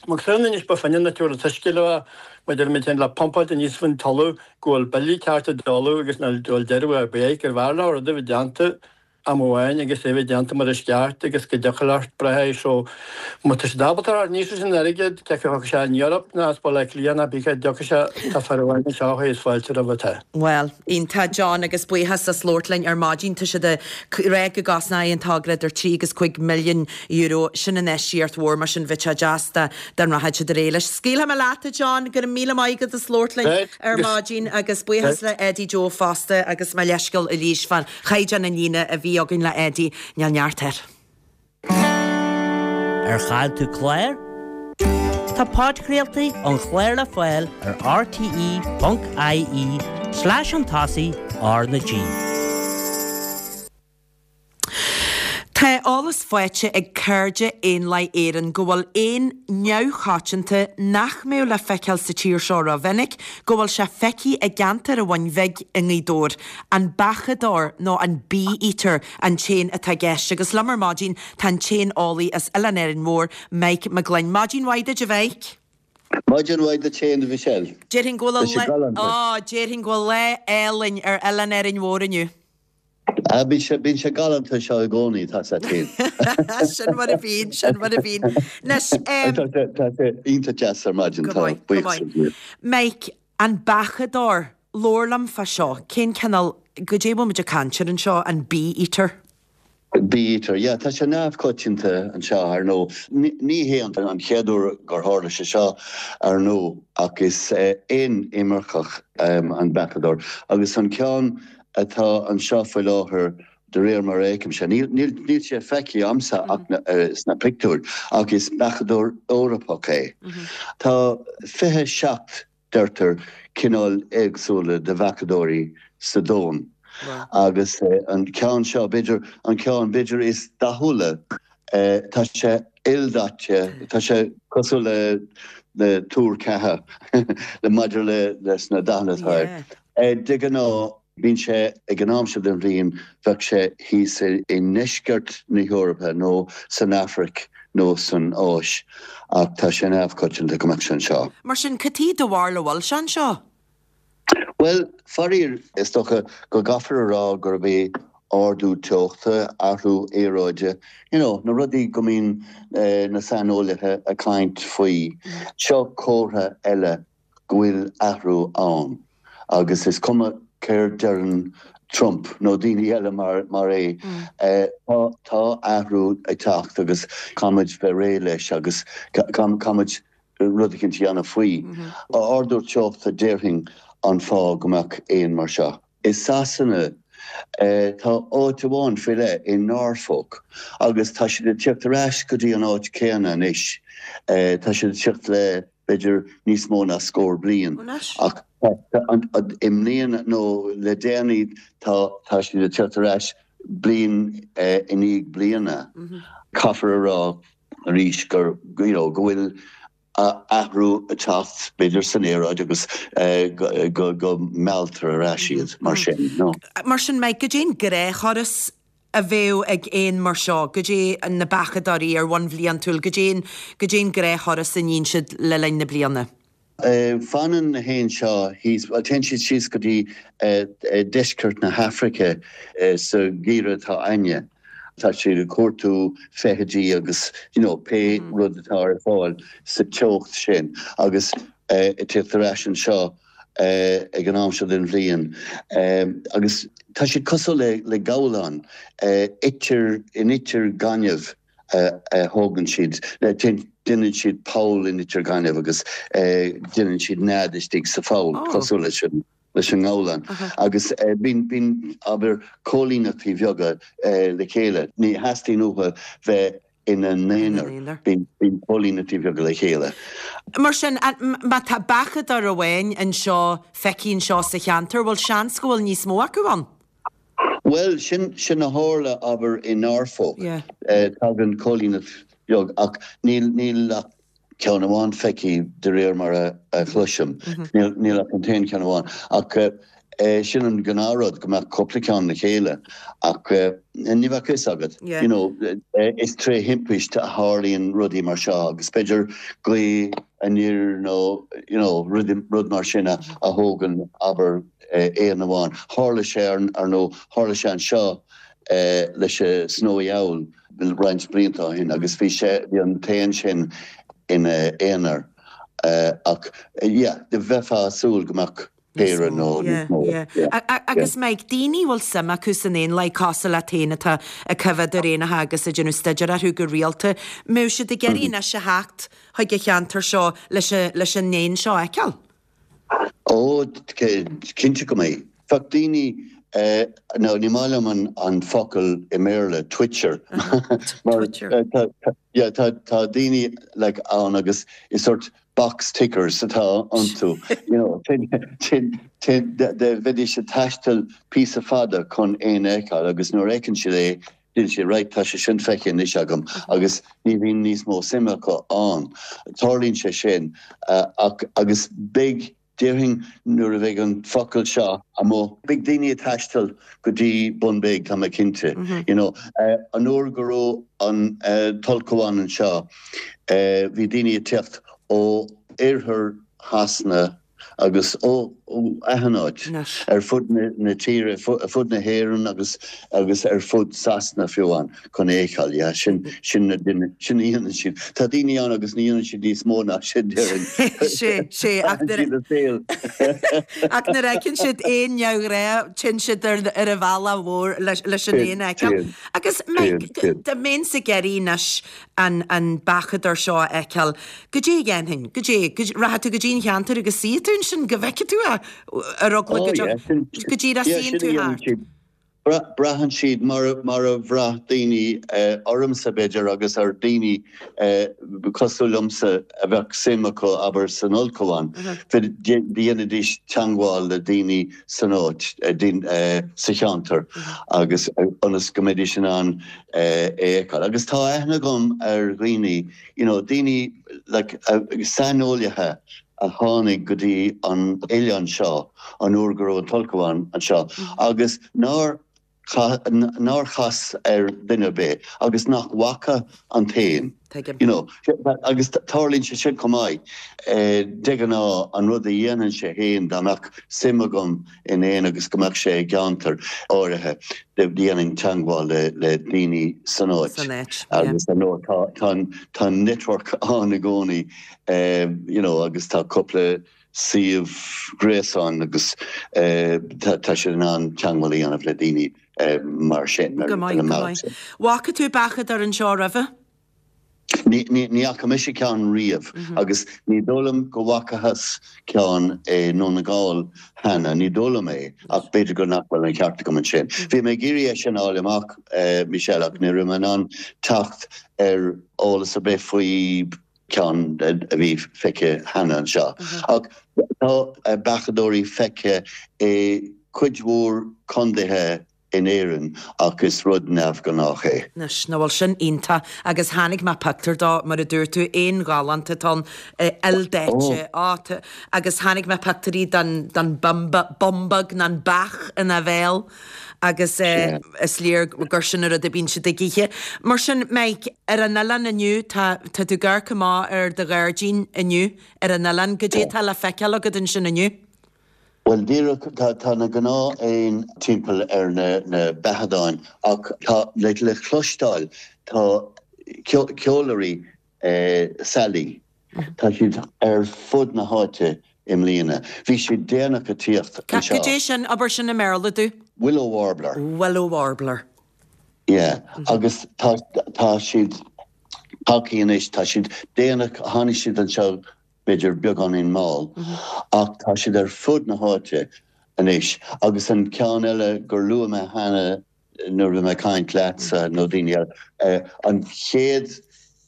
[SPEAKER 8] Mar sin anois ba finne na tabhair an t-uisce leo mar deirimid féin le pumpáil aníos faoin talamh go bhfuil billí ceart i dtalamh agus nach bhfuil deireadh ar bith gurbh fhearr leo rud a bheith déanta am amháin agus é bheith déanta mar is ceart agus go dtiocfadh leat brath air so má tá siad ábalta a níos leis an airgead cé acu a thiocfaidh sé in Europe ná as Baile Átha Cliath ná bí cé dtiocfaidh sé tá fear amháin anseo a is fáilte roimhe tá.
[SPEAKER 1] Bhuel, iontach John agus buíochas as labhairt linn ar maidin. Tá siad ag rá go gcosnóidh an togra idir 3 agus 5 milliún euro. Sin infheistíocht mhór mar sin bheadh sé deas dá dá rachadh siad ar aghaidh leis. Scaoilfidh mé leat a John, go raibh míle maith agat as labhairt linn ar maidin agus buíochas le Eddie Joe fosta agus mo leithscéal arís fán Chaighdeán an líne a bhí againn le Eddie, níl neart air.
[SPEAKER 6] Ar chaill tú clár? Tá podchraoltaí an chláir le fáil ar rte.ie slash chun tosaigh R na G.
[SPEAKER 1] Tá eolas faighte ag Cairde Éanlaith Éireann go bhfuil éan neamhchoitianta nach mbeadh le feiceáil sa tír seo rómhinic, go bhfuil sé feicthe i gceantar an Bhun Bhig i nGaoth Dobhair. An beachadóir nó an bee-eater an t-éan atá i gceist agus liom ar maidin tá an t-éaneolaí as Oileán Árainn Mhór, Mike Mac Gloinn. Maidin mhaith duit a Mhike.
[SPEAKER 9] Maidin mhaith duit féin a Mhichelle.
[SPEAKER 1] Déarfainn go bhfuil Tá sé galánta. Á, déarfainn go bhfuil lá álainn ar Oileán Árainn Mhór inniu.
[SPEAKER 9] Ah, bíonn sé, bíonn sé galánta anseo i gcónaí, tá sé féin.
[SPEAKER 1] Sin mar a bhíonn, sin mar a bhíonn.
[SPEAKER 9] Anois, em. Tá sé, tá sé iontach deas ar maidin,
[SPEAKER 1] Go tá maith, go buíochas maith. le Dia. Mike, an beachadóir, Labhair liom fá seo, cén cineál, goidé a bhfuil muid ag caint air anseo, an bee-eater?
[SPEAKER 9] Bee-eater, yeah, tá sé neamhchoitianta anseo, ar ndóigh. Ní hé an chéad uair gur tharla sé seo, ar ndóigh, ach is éan imirceach an beachadóir agus an ceann atá anseo faoi láthair, de réir mar a fheicimse, níl sé feicthe a'msa ach sna pictiúir, ach is beachadóir Eorpach é. Tá 27 deirtear, cineáil éagsúla de bheachadóirí sa domhan agus an ceann seo, b'fhéidir, an ceann, b'fhéidir, is dathúla, tá sé ildaite, tá sé cosúil le le tuar ceatha le maidir le leis na dathanna atá air. De ghnáth, Bíonn sé ag an am seo den bhliain, bheadh sé thíos i ndeisceart na hEorpa nó san Afraic nó san Áis ach tá sé neamhchoitianta go mbeadh sé anseo.
[SPEAKER 1] Mar sin, cad chuige do bharúil a bhfuil sé anseo?
[SPEAKER 9] Bhuel, faraor, is dócha go gcaithfear a rá gurb é ardú teochta, athrú aeráide, you know, na rudaí go mbíonn na saineolaithe ag caint faoi. Seo comhartha eile go bhfuil athrú ann agus is cuma céard deireann Trump nó daoine eile mar é, tá athrú ag teacht agus caithfimid bheith réidh leis agus caithfimid rud eicínt a dhéanamh faoi. Ardú teochta déarfainn an fáth go mbeadh éin mar seo. I Sasana, tá áit amháin faoi leith i Norfolk agus tá siad ag tíocht ar ais go dtí an áit céanna anois. Tá siad ag tíocht le b'fhéidir níos mó ná scór bliain ach i mbliana nó le déanaí tá tá siad ag tíocht ar ais bliain i ndiaidh bliana. Caithfear a rá arís gur you know go bhfuil athrú ag teacht b'fhéidir san aeráid agus go go mealltar ar ais iad mar sin.
[SPEAKER 1] Mar sin Mike, goidé an gnáth-thuras a bheadh ag éan mar seo, goidé na beachadóirí ar bhonn bhliantúil, goidé an, goidé an gnáth-thuras a níonn siad le linn na bliana.
[SPEAKER 9] Fanann na héin seo thíos, bhuel téann siad síos go dtí deisceart na hAfraice sa gheimhreadh atá a'inne. Tá siad ag cuartú feithidí agus you know pé rud atá ar fáil sa teocht sin agus ag tíocht ar ais anseo ag an am seo den bhliain agus tá siad cosúil le gabhláin, itear, in itear gainimh a thógann siad, déanann siad poll in itear gainimh agus déanann siad nead istigh sa pholl, cosúil leis sin. Leis an ngabhlán. Agus bíonn, bíonn, abair, cóilíneachtaí bheaga le chéile. Ní theastaíonn uathu bheith ina n-aonar. Bíonn, bíonn cóilíneachtaí bheaga le chéile.
[SPEAKER 1] Mar sin, má tá beachadóir amháin anseo, feicthe anseo sa cheantar, bhfuil seans go bhfuil níos mó acu ann?
[SPEAKER 9] Bhuel, sin, sin a tharla, abair, i Norfolk. Tagann cóilíneacht bheag ach níl, níl ach ceann amháin feicthe de réir mar a chloisim. Níl ach an t-aon cheann amháin. Ach sin an gnáthrud, go mbeadh cúpla ceann le chéile. Ach ní bheadh fhios agat. You know, is tré thimpist a tharlaíonn rudaí mar seo agus b'fhéidir gaoth aniar nó, you know, rud mar sin a thógann, abair, éan amháin. Tharla sé, ar ndóigh, tharla sé anseo leis an Snowy Owl. roinnt blianta ó shin agus bhí sé, bhí an t-éan sin ina aonar ach yeah, bheifeá ag súil go mbeadh péire nó níos mó.
[SPEAKER 1] Yeah, yeah. Agus Mike, daoine a bhfuil suim acu san éanlaith cosúil leat féin atá ag coimhéad ar éanacha agus ag déanamh staidéar orthu go rialta, mbeadh siad ag iarraidh anois a theacht chuig an cheantar seo leis leis an éan seo a fheiceáil?
[SPEAKER 9] Ó, cinnte go mbeidh. Bheadh daoine, nó ní maith liom an focal i mBéarla, twitcher, mar yeah, tá daoine like ann agus is sort box tickers atá iontu, you know, bheidís ag taisteal píosa fada chun éan a fheiceáil agus nuair a fheiceann siad é, Deireann siad, right, tá sé sin feicthe anois agam agus ní bhíonn níos mó suime acu ann. Tarlaíonn sé sin ach, agus beidh, déarfainn nuair a bheidh an focal seo amuigh, beidh daoine ag taisteal go dtí Bun Beag, tá mé cinnte. You know, an uair go raibh an t-ulchabhán anseo, bhí daoine ag teacht ó oirthear Shasana, agus ó achan áit ar fud na tíre, ar fud na hÉireann agus agus ar fud Sasana fiú amháin chun é a fheiceáil. Yeah, sin sin na duine, sin a dhéanann siad. Tá daoine ann agus ní dhéanann siad níos mó ná sin, déarfainn.
[SPEAKER 1] Sé, sé, ach nuair a ach nuair a fheiceann siad éan neamhghnách, téann siad ar ar an bhealach mhór leis leis an éan a fheiceáil. Agus Mike, dá mbeinnse ag iarraidh anois an an beachadóir seo a fheiceáil. Goidé a dhéanfainn? Goidé? Rachaidh tú go dtí an cheantar agus suífidh tú ansin go bhfeicfidh tú é ar eagla go dtiocfaidh go díreach suíonn tú thart.
[SPEAKER 9] Braitheann siad mar mar a bhraith daoine ormsa b'fhéidir agus ar daoine cosúil liomsa a bheadh suim acu abair san ulchabhán. Dhéanfaidís teangmháil le daoine san áit, sa cheantar agus ionas go mbeidís in ann é a fheiceáil. Agus tá aithne agam ar dhaoine, you know, daoine like saineolaithe a tháinig go dtí an oileán seo an uair go raibh an t-ulchabhán anseo agus nár nár chas ar duine ar bith agus nach bhfaca an t-éan.
[SPEAKER 1] Tuigim.
[SPEAKER 9] You know, agus tarlaíonn sé sin chomh maith. De ghnáth, an rud a dhéanfainnse féin dá mbeadh suim agam in éan agus go mbeadh sé i gceantar áirithe, dhéanfainn teangmháil le daoine san áit.
[SPEAKER 1] San áit, yeah.
[SPEAKER 9] Agus ar ndóigh tá, tá an, tá an network ann i gcónaí, you know, agus tá cúpla suíomh gréasáin agus tá siad in ann teangmháil a dhéanamh le daoine mar sin,
[SPEAKER 1] Go maith, go maith. Bhfaca tú beachadóir anseo roimhe?
[SPEAKER 9] Ní fhaca mise ceann riamh agus ní dóigh liom go bhfacathas ceann i nDún na nGall cheana, ní dóigh liom é, ach b'fhéidir go nach bhfuil an ceart agam ansin. Bhí mé ag iarraidh é sin a fháil amach, Michelle, ach ní raibh mé in ann teacht ar eolas ar bith faoi cheann a bhí feicthe cheana anseo. Ach tá beachadóirí feicthe i cuid mhór condaetha in Éirinn ach is rud neamhghnách é.
[SPEAKER 1] Anois, nach bhfuil sin iontach? Agus chonaic mé pictiúr dó, mar a dúirt tú, éan galánta atá ann, ildaite, á, tá, agus chonaic mé pictiúirí den, den bumba, bumbag nó an beach ina bhéal agus eh, is léir gur sin an rud a bíonn siad ag ithe. Mar sin, Mike, ar an oileán inniu, tá, tá tú ag amharc amach ar do ghairdín inniu ar an oileán, goidé atá le feiceáil agat ansin inniu?
[SPEAKER 9] Bhuel, díreach, tá, tá na gnáth-éin timpeall ar na, na beathadáin ach tá, le, le cloisteáil, tá ceolairí saileach, tá siad ar fud na háite i mbliana. Bhí siad déanach ag tíocht
[SPEAKER 1] anseo. Cad é sin, abair sin i mBéarla domh.
[SPEAKER 9] Willow warbler.
[SPEAKER 1] Willow warbler.
[SPEAKER 9] Yeah, agus tá, tá siad tagthaí anois, tá siad déanach, tháinig siad anseo b'fhéidir beagáinín mall, ach tá siad ar fud na háite. Anois, agus an ceann eile gur luaigh mé cheana nuair a bhí mé ag caint leatsa nó daoine eile, an chéad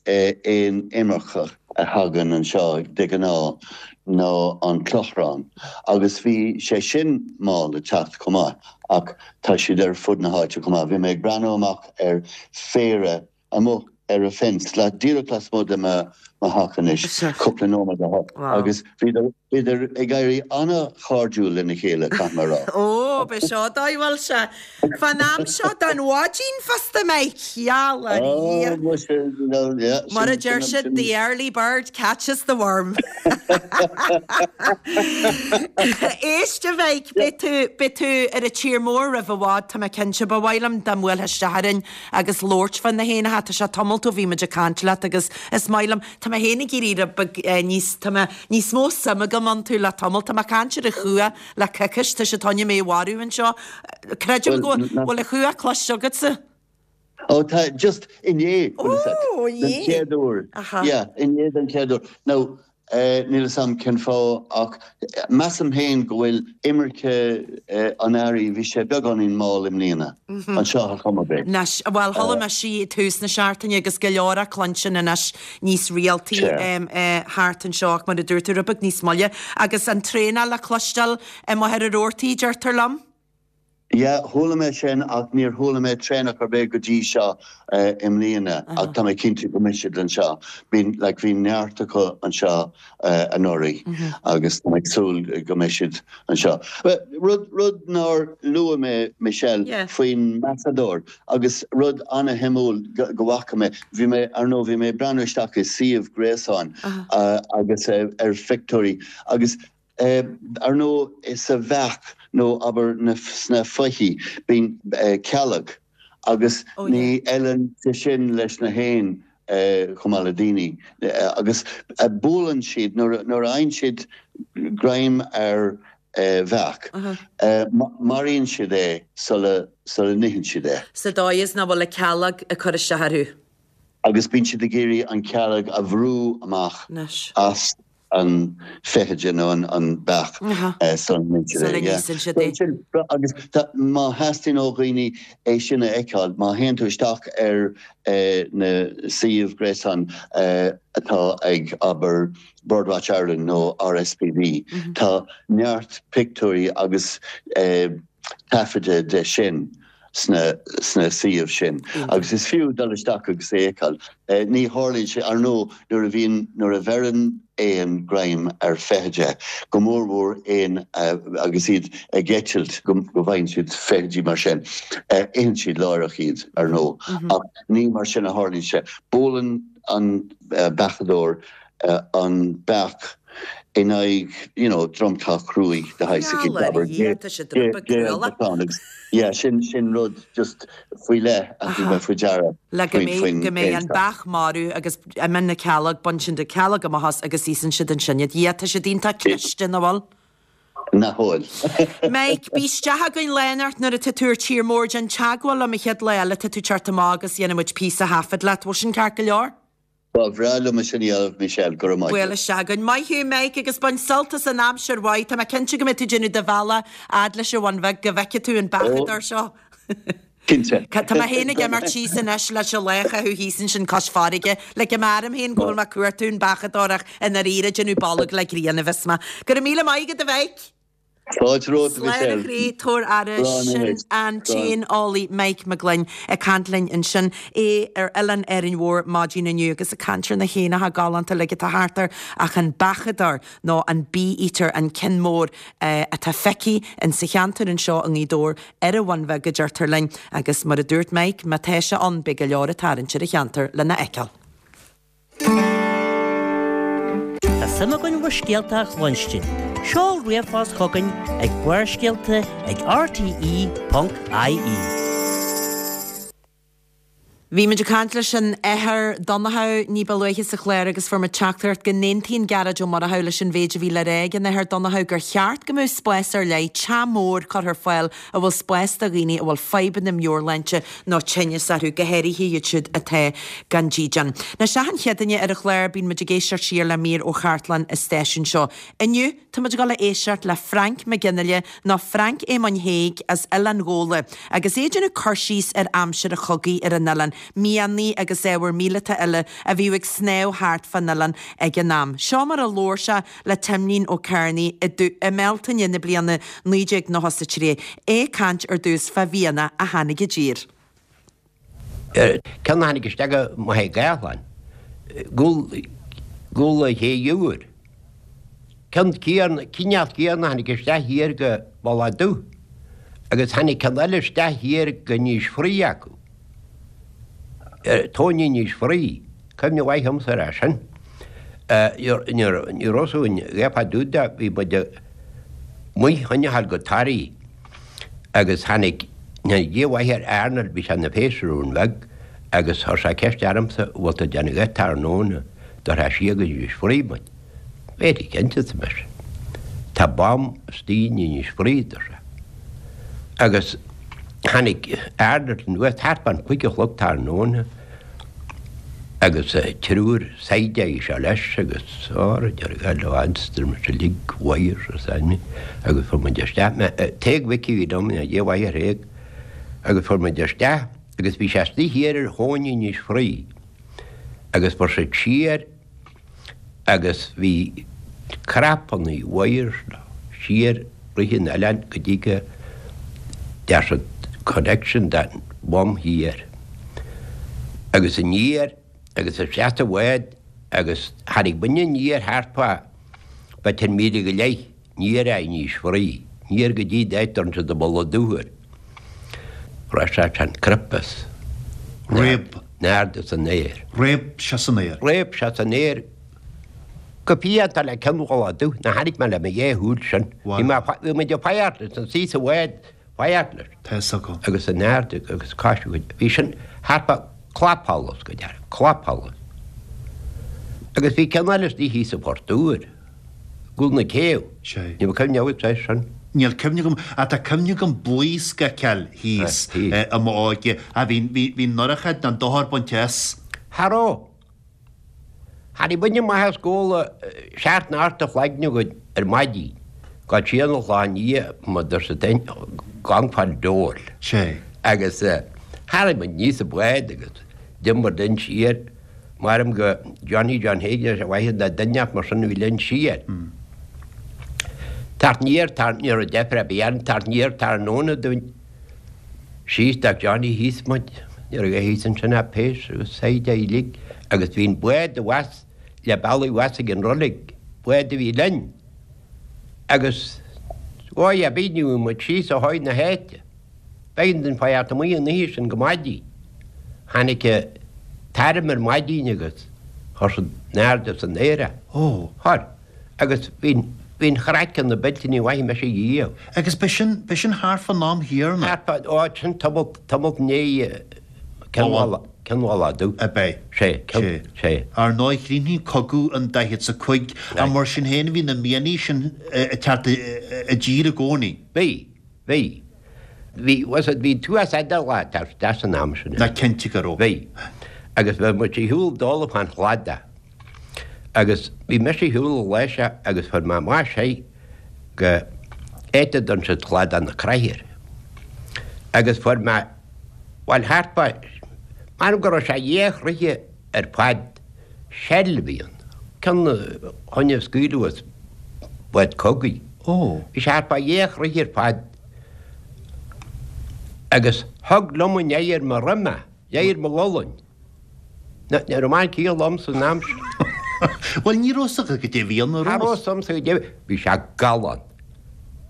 [SPEAKER 9] éan imirceach a thagann anseo de ghnáth ná an clochrán agus bhí sé sin mall ag teacht chomh maith ach tá siad ar fud na háite chomh maith. Bhí mé ag breathnú amach ar phéire amuigh ar an fence, díreach lasmuigh de mo theach anois, cúpla nóiméad ó shin, agus bhíodar, bhíodar ag éirí an-chairdiúil lena chéile, caithfidh mé a rá.
[SPEAKER 1] Ó, b'é seo dóigh a bhfuil sé fán am seo den mhaidin fosta, Mike! Gheall ar Dhia!
[SPEAKER 9] Ó, muise, you know, yeah, sin,
[SPEAKER 1] Mar a deir siad, the early bird catches the worm. Éist, a Mhike, beidh tú, beidh tú ar an tír mór roimh i bhfad, tá mé cinnte. Ba mhaith liom dá mbuailfeá isteach orainn Agus labhairt fá na héanacha, tá sé tamalt ó bhí muid ag caint leat agus is maith liom, tá mé féin ag éirí rud beag níos, tá mé, níos mó suim agam iontu le tamalt. Tá mé ag caint ar an chuach le coicís, tá sé toinne mé a mharú anseo. Creidim go bhfuil an chuach cloiste agatsa?
[SPEAKER 9] Ó tá, just inné, bhfuil fhios agat,
[SPEAKER 1] Ó,
[SPEAKER 9] den
[SPEAKER 1] inné.
[SPEAKER 9] chéad uair.
[SPEAKER 1] Aha.
[SPEAKER 9] Yeah, inné den chéad uair. Now, Níl fhios a'm cén fáth ach measaim féin go bhfuil imirce an earraigh, bhí sé beagáinín mall i mbliana, anseo ar chuma ar bith.
[SPEAKER 1] Anois, bhuel, chuala mise í ag tús na seachtaine agus go leor á cluinstin anois níos rialtaí thart anseo ach mar a dúirt tú, rud beag níos moille. Agus an traenach le cloisteáil i Machaire Rabhartaigh, deirtear liom.
[SPEAKER 9] Yeah, chuala mé sin ach níor chuala mé traonach ar bith go dtí seo i mbliana ach tá mé cinnte go mbeidh siad anseo. Bíonn, like, bhí neart acu anseo anuraidh agus tá mé ag súil go mbeidh siad anseo. Rud, rud nár luaigh mé, Michelle, faoin mbeachadóir agus rud ana-shuimiúil go bhfaca mé, bhí mé, ar ndóigh, bhí mé ag breathnú isteach i suíomh gréasáin agus ar phictiúirí agus Ar ndóigh, sa bheach, nó abair sna foichí, bíonn cealg agus ní fheileann sé sin leis na héin chomh maith le daoine. Agus buaileann siad, nuair a fhaigheann siad greim ar bheach, maraíonn siad é sula n-itheann siad é.
[SPEAKER 1] Sa dóigh is nach bhfuil an cealg ag cur isteach orthu.
[SPEAKER 9] Agus bíonn siad ag iarraidh an chealg a bhrú amach as an feithide nó an beach sula n-itheann siad é. Agus má theastaíonn ó dhaoine é sin a fheiceáil, má théann tú isteach ar na suíomh gréasáin atá ag, abair, Birdwatch Ireland nó RSPB, tá neart pictiúirí agus taifeadta de sin. sna suíomh sin agus is fiú dul isteach agus é a fheiceáil. Ní tharlaíonn sé, ar ndóigh, nuair a bhíonn, nuair a bheireann éan greim ar feithide, go mór mhór éin agus iad ag eitilt, go bhfaigheann siad feithidí mar sin, itheann siad láithreach iad, ar ndóigh, ach ní mar sin a tharlaíonn sé. Buaileann an beachadóir an beach in aghaidh, you know, dromchla cruaidh de shaghas
[SPEAKER 1] eicínt, abair,
[SPEAKER 9] géag Yeah, sin, sin rud just faoi leith a thug mé faoi deara
[SPEAKER 1] Le go
[SPEAKER 9] faoin,
[SPEAKER 1] mbeidh,
[SPEAKER 9] faoin
[SPEAKER 1] go mbeidh an
[SPEAKER 9] éan seo.
[SPEAKER 1] beach marbh agus imíonn na cealg, bain siad na cealg amach as agus íosann siad ansin iad. Yeah, tá siad iontach cliste, nach bhfuil?
[SPEAKER 9] Nach bhfuil.
[SPEAKER 1] Mike, bí isteach againn lá inteacht nuair atá tú ar tír mór, déan teagmháil liom an chéad lá eile atá tú ag teacht amach agus dhéanfaidh muid píosa thaifead leat. Bhfuil sin ceart go leor?
[SPEAKER 9] Ba bhreá liom é sin a dhéanamh, Michelle, go raibh maith
[SPEAKER 1] Buail
[SPEAKER 9] agat.
[SPEAKER 1] isteach againn. Maith thú, Mike, agus bain sult as an aimsir mhaith. Tá mé cinnte go mbeidh tú ag déanamh do bhealaigh fhad leis an Bhun Bheag go bhfeicfidh tú an beachadóir seo.
[SPEAKER 9] Cinnte.
[SPEAKER 1] Tá mé féin ag imeacht síos anois leis an lá a chaitheamh thíos ansin cois farraige. Le go mbearm féin go bhfuil mé ag cuartú an beachadóir ach i ndáiríre ag déanamh bolg le grian a bheas mé. Go raibh míle maith agat, a Mhike.
[SPEAKER 9] Fáilte romhat, a
[SPEAKER 1] Slán a
[SPEAKER 9] Mhichelle.
[SPEAKER 1] chroí, tabhair aire,
[SPEAKER 9] Slán
[SPEAKER 1] sin an t-éaneolaí Mike Mac Gloinn ag caint linn ansin, é ar oileán Árainn Mhór maidin inniu agus ag caint ar na héanacha galánta uilig atá thart air ach an beachadóir nó an bee-eater, an ceann mór atá feicthe in sa cheantar anseo i nGaoth Dobhair ar an Bhun Bheag a deirtear linn agus mar a dúirt Mike, má tá sé ann beidh go leor ag tarraingt ar an cheantar lena fheiceáil.
[SPEAKER 6] Tá suim againn bhur scéalta a chluinstin. Seol ríomhphost chugainn ag barrscéalta ag rte.ie.
[SPEAKER 1] Bhí muid ag caint leis an Athair Donnchadh ní ba luaithe sa chlár agus fuair muid teachtaireacht go n-aontaíonn Gearóid Ó Murchú leis an mhéid a bhí le rá ag an Athair Donnchadh gur cheart go mbeadh spás ar leith, teach mór, curtha ar fáil a bhfuil spás do dhaoine a bhfuil fadhbanna meabhairshláinte nó tinneas orthu, go háirithe iad siúd atá gan dídean. Anois achan Chéadaoine ar an chlár bíonn muid ag éisteacht siar le mír ó chartlann an stáisiúin seo. Inniu, Tá muid ag dul a éisteacht le Frainc Mac Fhionnghaile, nó Frainc Éamoinn Thaidhg as Oileán Ghabhla, agus é ag déanamh cur síos ar aimsir an chogaidh ar an oileán, mianaigh agus ábhar míleata eile a bhíodh ag snámh thart fán oileán ag an am. Seo mar a labhair sé le Timlín Ó Cearnaigh i i mBealtaine na bliana 1993, é ag caint ar dtús fá mhianach a tháinig i dtír.
[SPEAKER 10] Ceann a tháinig isteach go Machaire Gathlán, gcúl an Ché Iúir. Ceann céanna, cineál céanna a tháinig isteach thiar go Mullach Dubh agus tháinig ceann eile isteach thiar go Inis Fraoich acu. Tóin Inis Fraoich, cuimhne mhaith agamsa air sin. Ní raibh fhios againn a dhath fá dtaobh de, bhí muid amuigh chun a ghabháil go Toraigh. Agus tháinig, Dia mhaith ar Arnold, bhí sé ina phéas i Rún Bheag, agus chuir sé ceist ormsa, an bhfuil tú ag déanamh a dhath tráthnóna, dtabharfá siar go Inis Fraoich muid. Very cinnte, arsa mise. Tá bomb istigh in Inis Fraoich, dúirt sé. Agus tháinig Arnold anuas thart fán chúig a chlog tráthnóna, Agus triúr saighdeáirí seo leis agus ár dearg le instrument uilig wires is ainm agus fuair muid isteach mé Tadhg Mhicí a bhí liom ina Dia mhaith ar Thaidhg agus fuair muid isteach agus bhí sé istigh thiar ar thóin Inis Fraoich agus fuair siad siar agus bhí crapannaí wires siar rith an oileáin go dtí go dtear siad connection den bhom thiar agus aniar agus isteach sa bhád agus tháinig muidne aniar thart fá b'fhéidir míle go leith aniar as Inis Fraoich, aniar go dtí an áit a dtugann siad an Mullach Dubh air. Raibh sé an crip as.
[SPEAKER 11] Réab.
[SPEAKER 10] In airde san aer.
[SPEAKER 11] Réab sé san aer.
[SPEAKER 10] Réab sé san aer. Go fiánta le ceann Mhullach Dubh, ná chonaic mé le mo dhá shúil sin. Bhí mé, bhí muid ag faire leis, ina suí sa bhád, faire leis.
[SPEAKER 11] Tá fhios agam.
[SPEAKER 10] Agus in airde agus cáis a chuid. Bhí sin thart fá clapsholas go deimhin, clapsholas. Agus bhí ceann eile istigh thíos sa Phort Úr, i gcúl na céibhe.
[SPEAKER 11] Sea.
[SPEAKER 10] Ní raibh cuimhne agat air sin?
[SPEAKER 11] Níl cuimhne agam, ach tá cuimhne agam blaosc a fheiceáil thíos i m'óige. Ach bhí, bhí, bhí an ndorchad, an dochar bainte as.
[SPEAKER 10] Cha raibh. Tháinig muidne amach as Gabhla seacht nó ocht a chloigne go ar maidin go dtí an lá i ndiaidh mo doirse féin gan fáil deoil.
[SPEAKER 11] Sé.
[SPEAKER 10] Agus tharraing muid aníos sa bhád agus d'imir linn siar, maram go Johnny John Hagan is a mhaith le duine mar sin a bhí linn siar. Teacht aniar, ní raibh deifir ar bith orainn, teacht aniar tráthnóna dúinn. Síos do Johnny thíos muid, ní raibh a thíos ansin ach péas agus saighdeáirí uilig agus bhí an bád abhus le bealaí abhus ag an roilig, bád a bhí linn agus dhóigh ar bith ní bhfuair muid síos ó thuaidh na háite. B'éigean dúinn fanacht amuigh an oíche sin go maidin. Tháinig an t-arm ar maidin agus chuir siad in airde san aer é.
[SPEAKER 11] Ó.
[SPEAKER 10] Chuir. Agus bhí an chraiceann na Bealtaine mhaith mise riamh.
[SPEAKER 11] Agus b'shin, b'shin thart fán am chéanna.
[SPEAKER 10] Thart fá, ó, sin tamall, tamall i ndiaidh Cionn Mhullach Dubh.
[SPEAKER 11] Ab ea?
[SPEAKER 10] Sé,
[SPEAKER 11] Sé.
[SPEAKER 10] sé.
[SPEAKER 11] Ar ndóigh, chríochnaigh cogadh an daichead 's a cúig, ach mar sin féin bhí na mianaigh sin ag teacht i dtír i gcónaí.
[SPEAKER 10] Bhí, bhí. Bhí, was it, bhí tuas eadar lá tar san am sin.
[SPEAKER 11] Ná cinnte go raibh.
[SPEAKER 10] Bhí. Agus bhí muid ar shiúl dála fán chladach. Agus bhí mise ar shiúl an lá seo agus fuair mé amach sé go áit a dtugann siad Cladach na Croiche air. Agus fuair mé, bhuel thart fá, m'anam go raibh sé dhá throithe ar fad, shell a bhí ann, ceann a choinne a scaoileadh as bád cogaidh.
[SPEAKER 11] Ó.
[SPEAKER 10] Bhí sé thart fá dhá throithe ar fad agus thug liom in oighear mo dhroim é, oighear mo ghualainn. Ní raibh mé ciall liom san am sin.
[SPEAKER 11] Bhuel, ní raibh 'fhios agat goidé a bhí ann, an
[SPEAKER 10] raibh? Cha raibh 'fhios a'msa goidé, bhí sé galánta.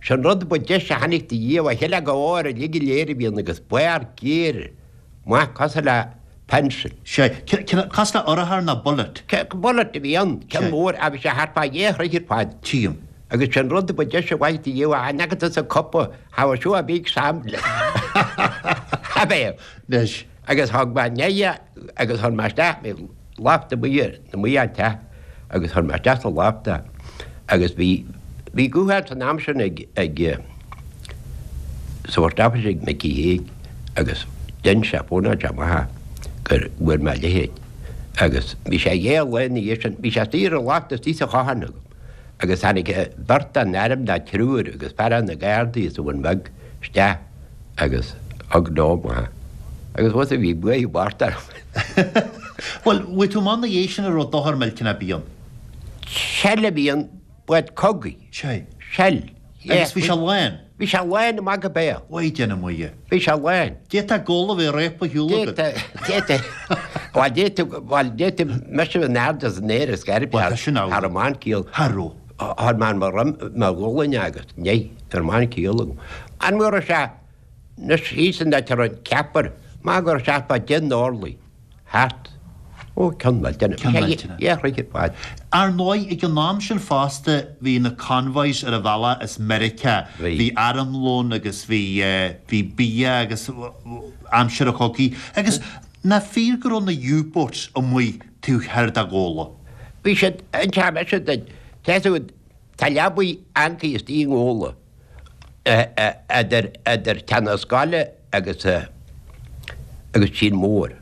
[SPEAKER 10] Sin rud ba deise a chonaic do Dhia, a cheile go ór uilig go léir a bhí ann agus barr géar maith cosúil le pencil.
[SPEAKER 11] Sea, cosúil le urchar nó bullet.
[SPEAKER 10] Bullet a bhí ann, ceann mór, a bhí sé thart fá dhá throigh ar fad.
[SPEAKER 11] Tchím.
[SPEAKER 10] Agus sin rud ba deise a bhfaigh do Dhia, a fhan agat as an cupa, have a show a big sample. Ab é?
[SPEAKER 11] Anois.
[SPEAKER 10] Agus thug mé neidhe agus chuir mé isteach bhí lafta amuigh ar amuigh an teach agus chuir mé isteach sa lafta agus bhí bhí guthán san am sin ag ag sa Phost Office ag Micí Thaidhg agus dhein sé fónáil sé amach é gur bhfuair mé a leithéid agus bhí sé dhé lá ina dhiaidh sin bhí sé istigh ar an lafta istigh sa chochán agam agus tháinig beirt den airm ná triúr agus fear de na Gardaí as an Bhun Bheag isteach agus thug leo amach agus bhus a bhí buaidh bart orm.
[SPEAKER 11] Bhuel, bhfuair tú amach ina dhiaidh sin an raibh dochar millteanach ar bith ann?
[SPEAKER 10] Shell a bhí ann, bád cogaidh.
[SPEAKER 11] Sea.
[SPEAKER 10] Shell.
[SPEAKER 11] Agus bhí sé lán?
[SPEAKER 10] Bhí sé lán amach go béal.
[SPEAKER 11] Mhaighdean na Muire.
[SPEAKER 10] Bhí sé lán.
[SPEAKER 11] D'fhéadfá gabháil a bheith réabtha ar shiúl agat.
[SPEAKER 10] D'fhéadfá, bhuel d'fhéadfá, bhuel d'fhéadfá mise a bheith in airde san aer is gairb
[SPEAKER 11] Bhuel tá sin
[SPEAKER 10] thar
[SPEAKER 11] amhlaidh.
[SPEAKER 10] an mban ciall.
[SPEAKER 11] Thar raibh.
[SPEAKER 10] Thar man mo dhroim, mo ghualainn agus ní, ar man ciall agam. An bhfuair sé, anois thíos an áit a raibh an ceapaire, má go raibh sé fá deich n-orlaí thart, ó ceann millteanach.
[SPEAKER 11] Ceann millteanach.
[SPEAKER 10] Dhé throigh ar fad.
[SPEAKER 11] Ar ndóigh, ag an am sin fosta, bhí na convoys ar a bhealach as Meiriceá.
[SPEAKER 10] Bhí.
[SPEAKER 11] Bhí armlón agus bhí, bhí bia agus aimsir an chogaidh. Agus nach fíor go raibh na U-boats amuigh taobh thoir de Ghabhla?
[SPEAKER 10] Bhí siad, an t-am mise duit, tá a fhios agat, tá leabaidh ancaí istigh i nGabhla idir, idir Teach na Scoile agus, agus Tír Mór.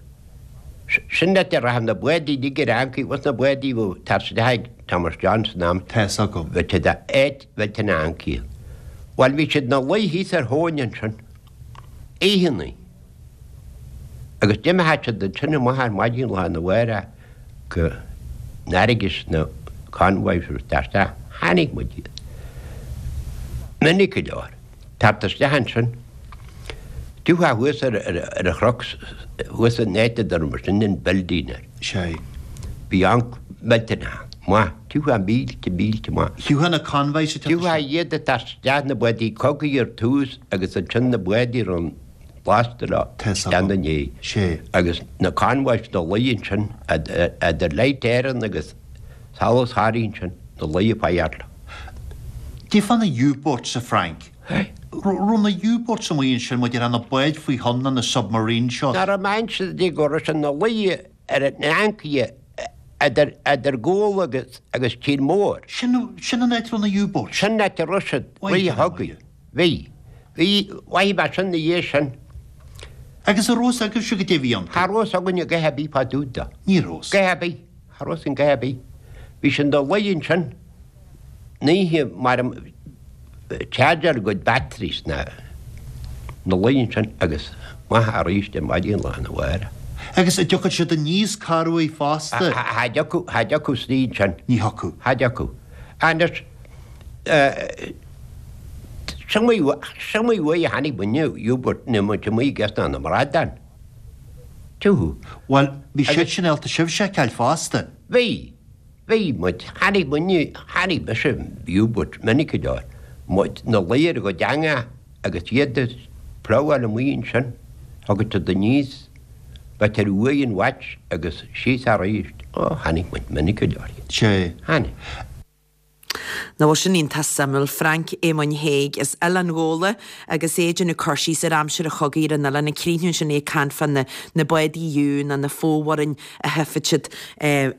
[SPEAKER 10] Sin áit a rachadh na bádaí uilig ar ancaí, bhus na bádaí bheadh tar isteach ag Thomas John san am.
[SPEAKER 11] Tá fhios agam.
[SPEAKER 10] Bheadh siad áit, bheadh na ancaí. Bhuel bhí siad ina luí thíos ar thóin ansin, oícheannaí. Agus d'imtheadh siad ansin amach ar maidin lá arna mhárach go n-fharraige sna convoys agus dar isteach. Chonaic muid iad. Minic go leor. Teacht isteach ansin. Tiocfá thuas ar an chnoc thuas an áit a dtugann muid sin an building air.
[SPEAKER 11] Sea.
[SPEAKER 10] Bhí anc millteanach ann. Maith. Tiocfá mílte, mílte maith.
[SPEAKER 11] Thiocfadh na convoys ag teacht
[SPEAKER 10] Thiocfá iad ag teacht isteach na bádaí cogaidh ar tús agus ansin na bádaí a raibh an lasta leo
[SPEAKER 11] Tá fhios
[SPEAKER 10] isteach
[SPEAKER 11] agam.
[SPEAKER 10] ina ndiaidh.
[SPEAKER 11] Sea.
[SPEAKER 10] Agus na convoys ina luí ansin idir Light Éireann agus Solas Thoraí ansin ina luí ag feitheamh leo.
[SPEAKER 11] Cad é fá na U-boats, a Frank. Raibh na U-boats amuigh ansin maidir le na báid faoi thonn nó na submarines seo.
[SPEAKER 10] Nach raibh mé inse di go raibh siad ina luí ar an ancaire idir idir Gabhla agus agus Tír Mór.
[SPEAKER 11] Sin sin an áit a raibh na U-boats.
[SPEAKER 10] Sin an áit a raibh siad rith an chogaidh. Bhí. Bhí. Mhaígh mé sin ina dhiaidh sin.
[SPEAKER 11] Agus an raibh fhios agaibhse goidé a bhí iontu?
[SPEAKER 10] Cha raibh fhios againn a dhath ar bith fá dtaobh de.
[SPEAKER 11] Ní raibh.
[SPEAKER 10] Dhath ar bith. Cha raibh fhios againn dhath ar bith. Bhí siad ina luí ansin an oíche mar chargeáil a gcuid batteries ina luí ansin agus amach arís ar maidin lá arna mhárach.
[SPEAKER 11] Agus an dtiocfadh siad aníos corruair fosta?
[SPEAKER 10] Cha dtiocfadh, cha dtiocfadh istigh ansin.
[SPEAKER 11] Ní thiocfadh.
[SPEAKER 10] Cha dtiocfadh. Anois, sin iomaí uair a chonaic muidne U-boat nuair muid amuigh ag iascach na mbradán. Tiocfadh.
[SPEAKER 11] Bhuel, bhí siad sin ábalta sibhse a fheiceáil fosta.
[SPEAKER 10] Bhí. Bhí muid. Chonaic muidne, chonaic mise U-boat minic go leor. Muid ina luí ar a gcuid eangach agus iad ag plamháil amuigh ansin. Thagadh siad aníos, b'fhéidir uaidh an watch agus síos arís. Ó, chonaic muid minic go leor iad.
[SPEAKER 11] Sea.
[SPEAKER 10] Chonaic.
[SPEAKER 1] Nach bhfuil sin iontach suimiúil. Frank Éamoinn Thaidhg as Oileán Ghabhla agus é ag déanamh cur síos ar aimsir an chogaidh ar an oileán. Ag críochnú ansin é ag caint fá na na bádaí U nó na fomhuireáin a thiofadh siad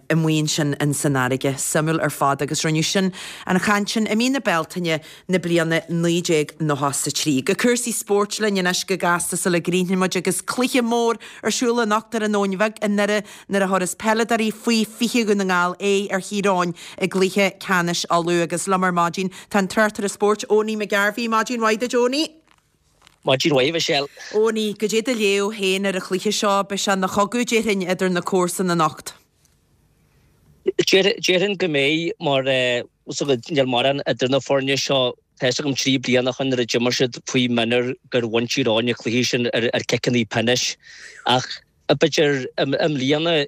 [SPEAKER 1] amuigh ansin in san fharraige. Suimiúil ar fad agus rinneadh sin an chaint sin i mí na Bealtaine na bliana 1993. Go cúrsaí spóirt linn anois go gasta sula gcríochnaíonn muid agus cluiche mór ar siúl anocht ar an Abhainn Bheag i nDoire nuair a thabharfas peileadóirí faoi 20 Dhún na nGall aghaidh ar Thír Eoghain i gcluiche ceannais Uladh agus liom ar maidin tá an tráchtaire spóirt Owenie McGarvey. Maidin mhaith duit Owenie.
[SPEAKER 12] Maidin mhaith, a Mhichelle.
[SPEAKER 1] Owenie, goidé do léamh féin ar an chluiche seo, beidh sé ina chogadh déarfainn idir na comharsana anocht.
[SPEAKER 12] Déarfainn go mbeidh mar níl mórán idir na foirne seo. Tá fhios agam 3 bliana ó shin nuair a d'imir siad faoi mhionúir gur bhain Tír Eoghain an cluiche sin ar chiceanna pionóis ach B'fhéidir i mbliana,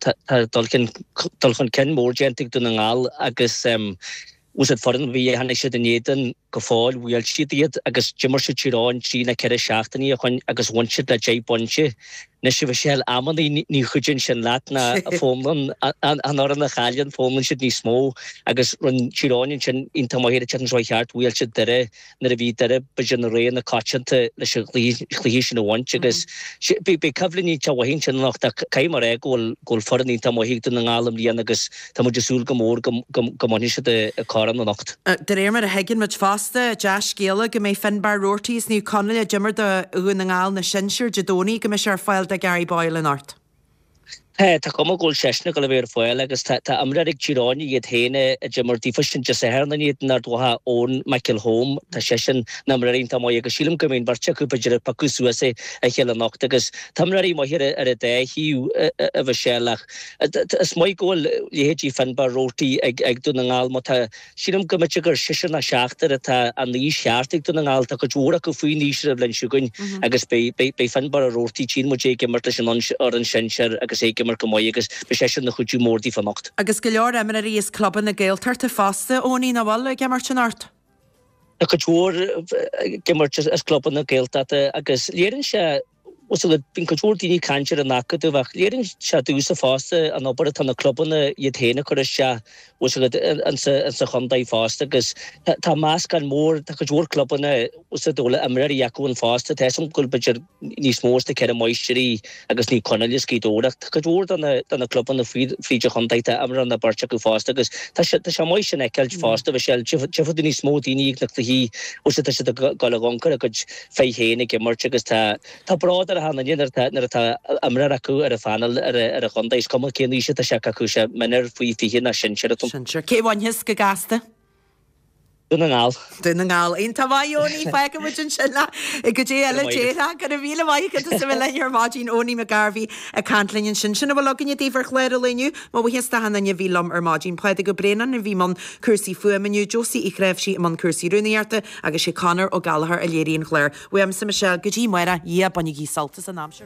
[SPEAKER 12] tá dul chun cinn mór déanta ag Dún na nGall agus bhfuil foireann a bhí a tháinig siad in éadan. go fóill bhuail siad iad agus d'imir siad Tír Eoghain trí nó 4 seachtainí ó shoin agus bhain siad le 10 bpointe. Anois a Mhichelle, amannaí ní chuidíonn sin leat ná foghlaimíonn an fhoireann a chailleann, foghlaimíonn siad níos mó agus rinne Tír Eoghain ansin iontach maith ar an tseachtain seo chuaigh thart, bhuail siad Doire nuair a bhí Doire b'fhéidir ina rogha na coitianta leis an chluiche sin a bhaint agus beidh coimhlint iontach mhaith ansin anocht ach caithfidh mé a rá go bhfuil go bhfuil foireann iontach maith ag Dún na nGall i mbliana agus tá muid ag súil go mór go go mbainfidh siad an corn anocht.
[SPEAKER 1] De réir mar a thuigeann muid fosta, dea-scéala go mbeidh Finbarr Roarty as Naomh Conaill a d'imir do Dhún na nGall na sinsir Dé Domhnaigh go mbeidh sé ar fáil do Gary Boyle anocht.
[SPEAKER 12] Tá, tá cuma go bhfuil seisean ag dul a bheith ar fáil agus tá, tá imreoir ag Tír Eoghain iad féin a d'imir daofa sin Dé Sathairn in éadan Ard Mhacha, Eoin McElholm, tá seisean ina imreoir iontach maith agus sílim go mbeidh an bheirt acu b'fhéidir ag piocadh suas a chéile anocht agus tá imreoirí maithe ar, ar an dá thaobh, a Mhichelle ach is maith go bhfuil leithéidí Finbarr Roarty ag, ag Dún na nGall má tá Sílim go mb'fhéidir gur seisear ná seachtar atá an aois cheart ag Dún na nGall. Tá cuid mhór acu faoin aois ar an bhliain seo chugainn agus beidh Finbarr Roarty, tchíonn muid é ag imirt leis an fhoireann sinsear agus é ag imirt go maith agus beidh seisean ina chuidiú mór daofa anocht.
[SPEAKER 1] Agus go leor imreoirí as clubanna Gaeltachta fosta, Eoiní, nach bhfuil, ag imirt anocht?
[SPEAKER 12] Tá cuid mhór ag imirt as clubanna Gaeltachta agus léiríonn sé Bhuel, bíonn cuid mhór daoine ag caint ar an Acadamh ach léiríonn sé domhsa fosta an obair atá na clubanna iad féin ag cur isteach bhfuil a fhios agat insa chontae fosta agus tá meascán mór, tá cuid mhór clubanna bhfuil a fhios agat a bhfuil imreoirí acu ann fosta. Tá a fhios agam go bhfuil b'fhéidir níos mó as na Ceithre Máistrí agus Naomh Conaill as Gaoth Dobhair ach tá cuid mhór de na de na clubanna fríd an chontae tá imreoir nó beirt acu fosta agus tá sé tá sé maith sin a fheiceáilt fosta Michelle. Tchífidh tú níos mó daoine ag na cluichí bhfuil a fhios agat tá siad ag dul a dh'amharc ar a gcuid fir féin ag imirt agus tá tá bród ar achan duine nuair atá nuair atá imreoir acu ar an phainéal ar ar an chontae. Is cuma cén aois atá sé acu sé mionúr faoi 20 ná sinsear atá.
[SPEAKER 1] Sinsear. Cé a bhainfeas go gasta?
[SPEAKER 12] Dún na nGall.
[SPEAKER 1] Dún na nGall. Iontach maith, Eoiní. Fágfaidh muid ansin leat go dtí eile déarfá. Go raibh míle maith agat as a bheith linn ar maidin. Eoiní McGarvey ag caint linn ansin. Sin a bhfuil againne daoibh ar chlár an lae inniu. Mo bhuíochas d'achan duine a bhí liom ar maidin. Pádraig Ó Braonáin a bhí i mbun cúrsaí fuaime inniu, Josie Uí Chnáimhsí i mbun cúrsaí rúnaíochta, Agus sé Conor Ó Gallchóir a léirigh an clár. Uaimse Michelle, go dtí amárach, yeah, bainigí sult as an aimsir.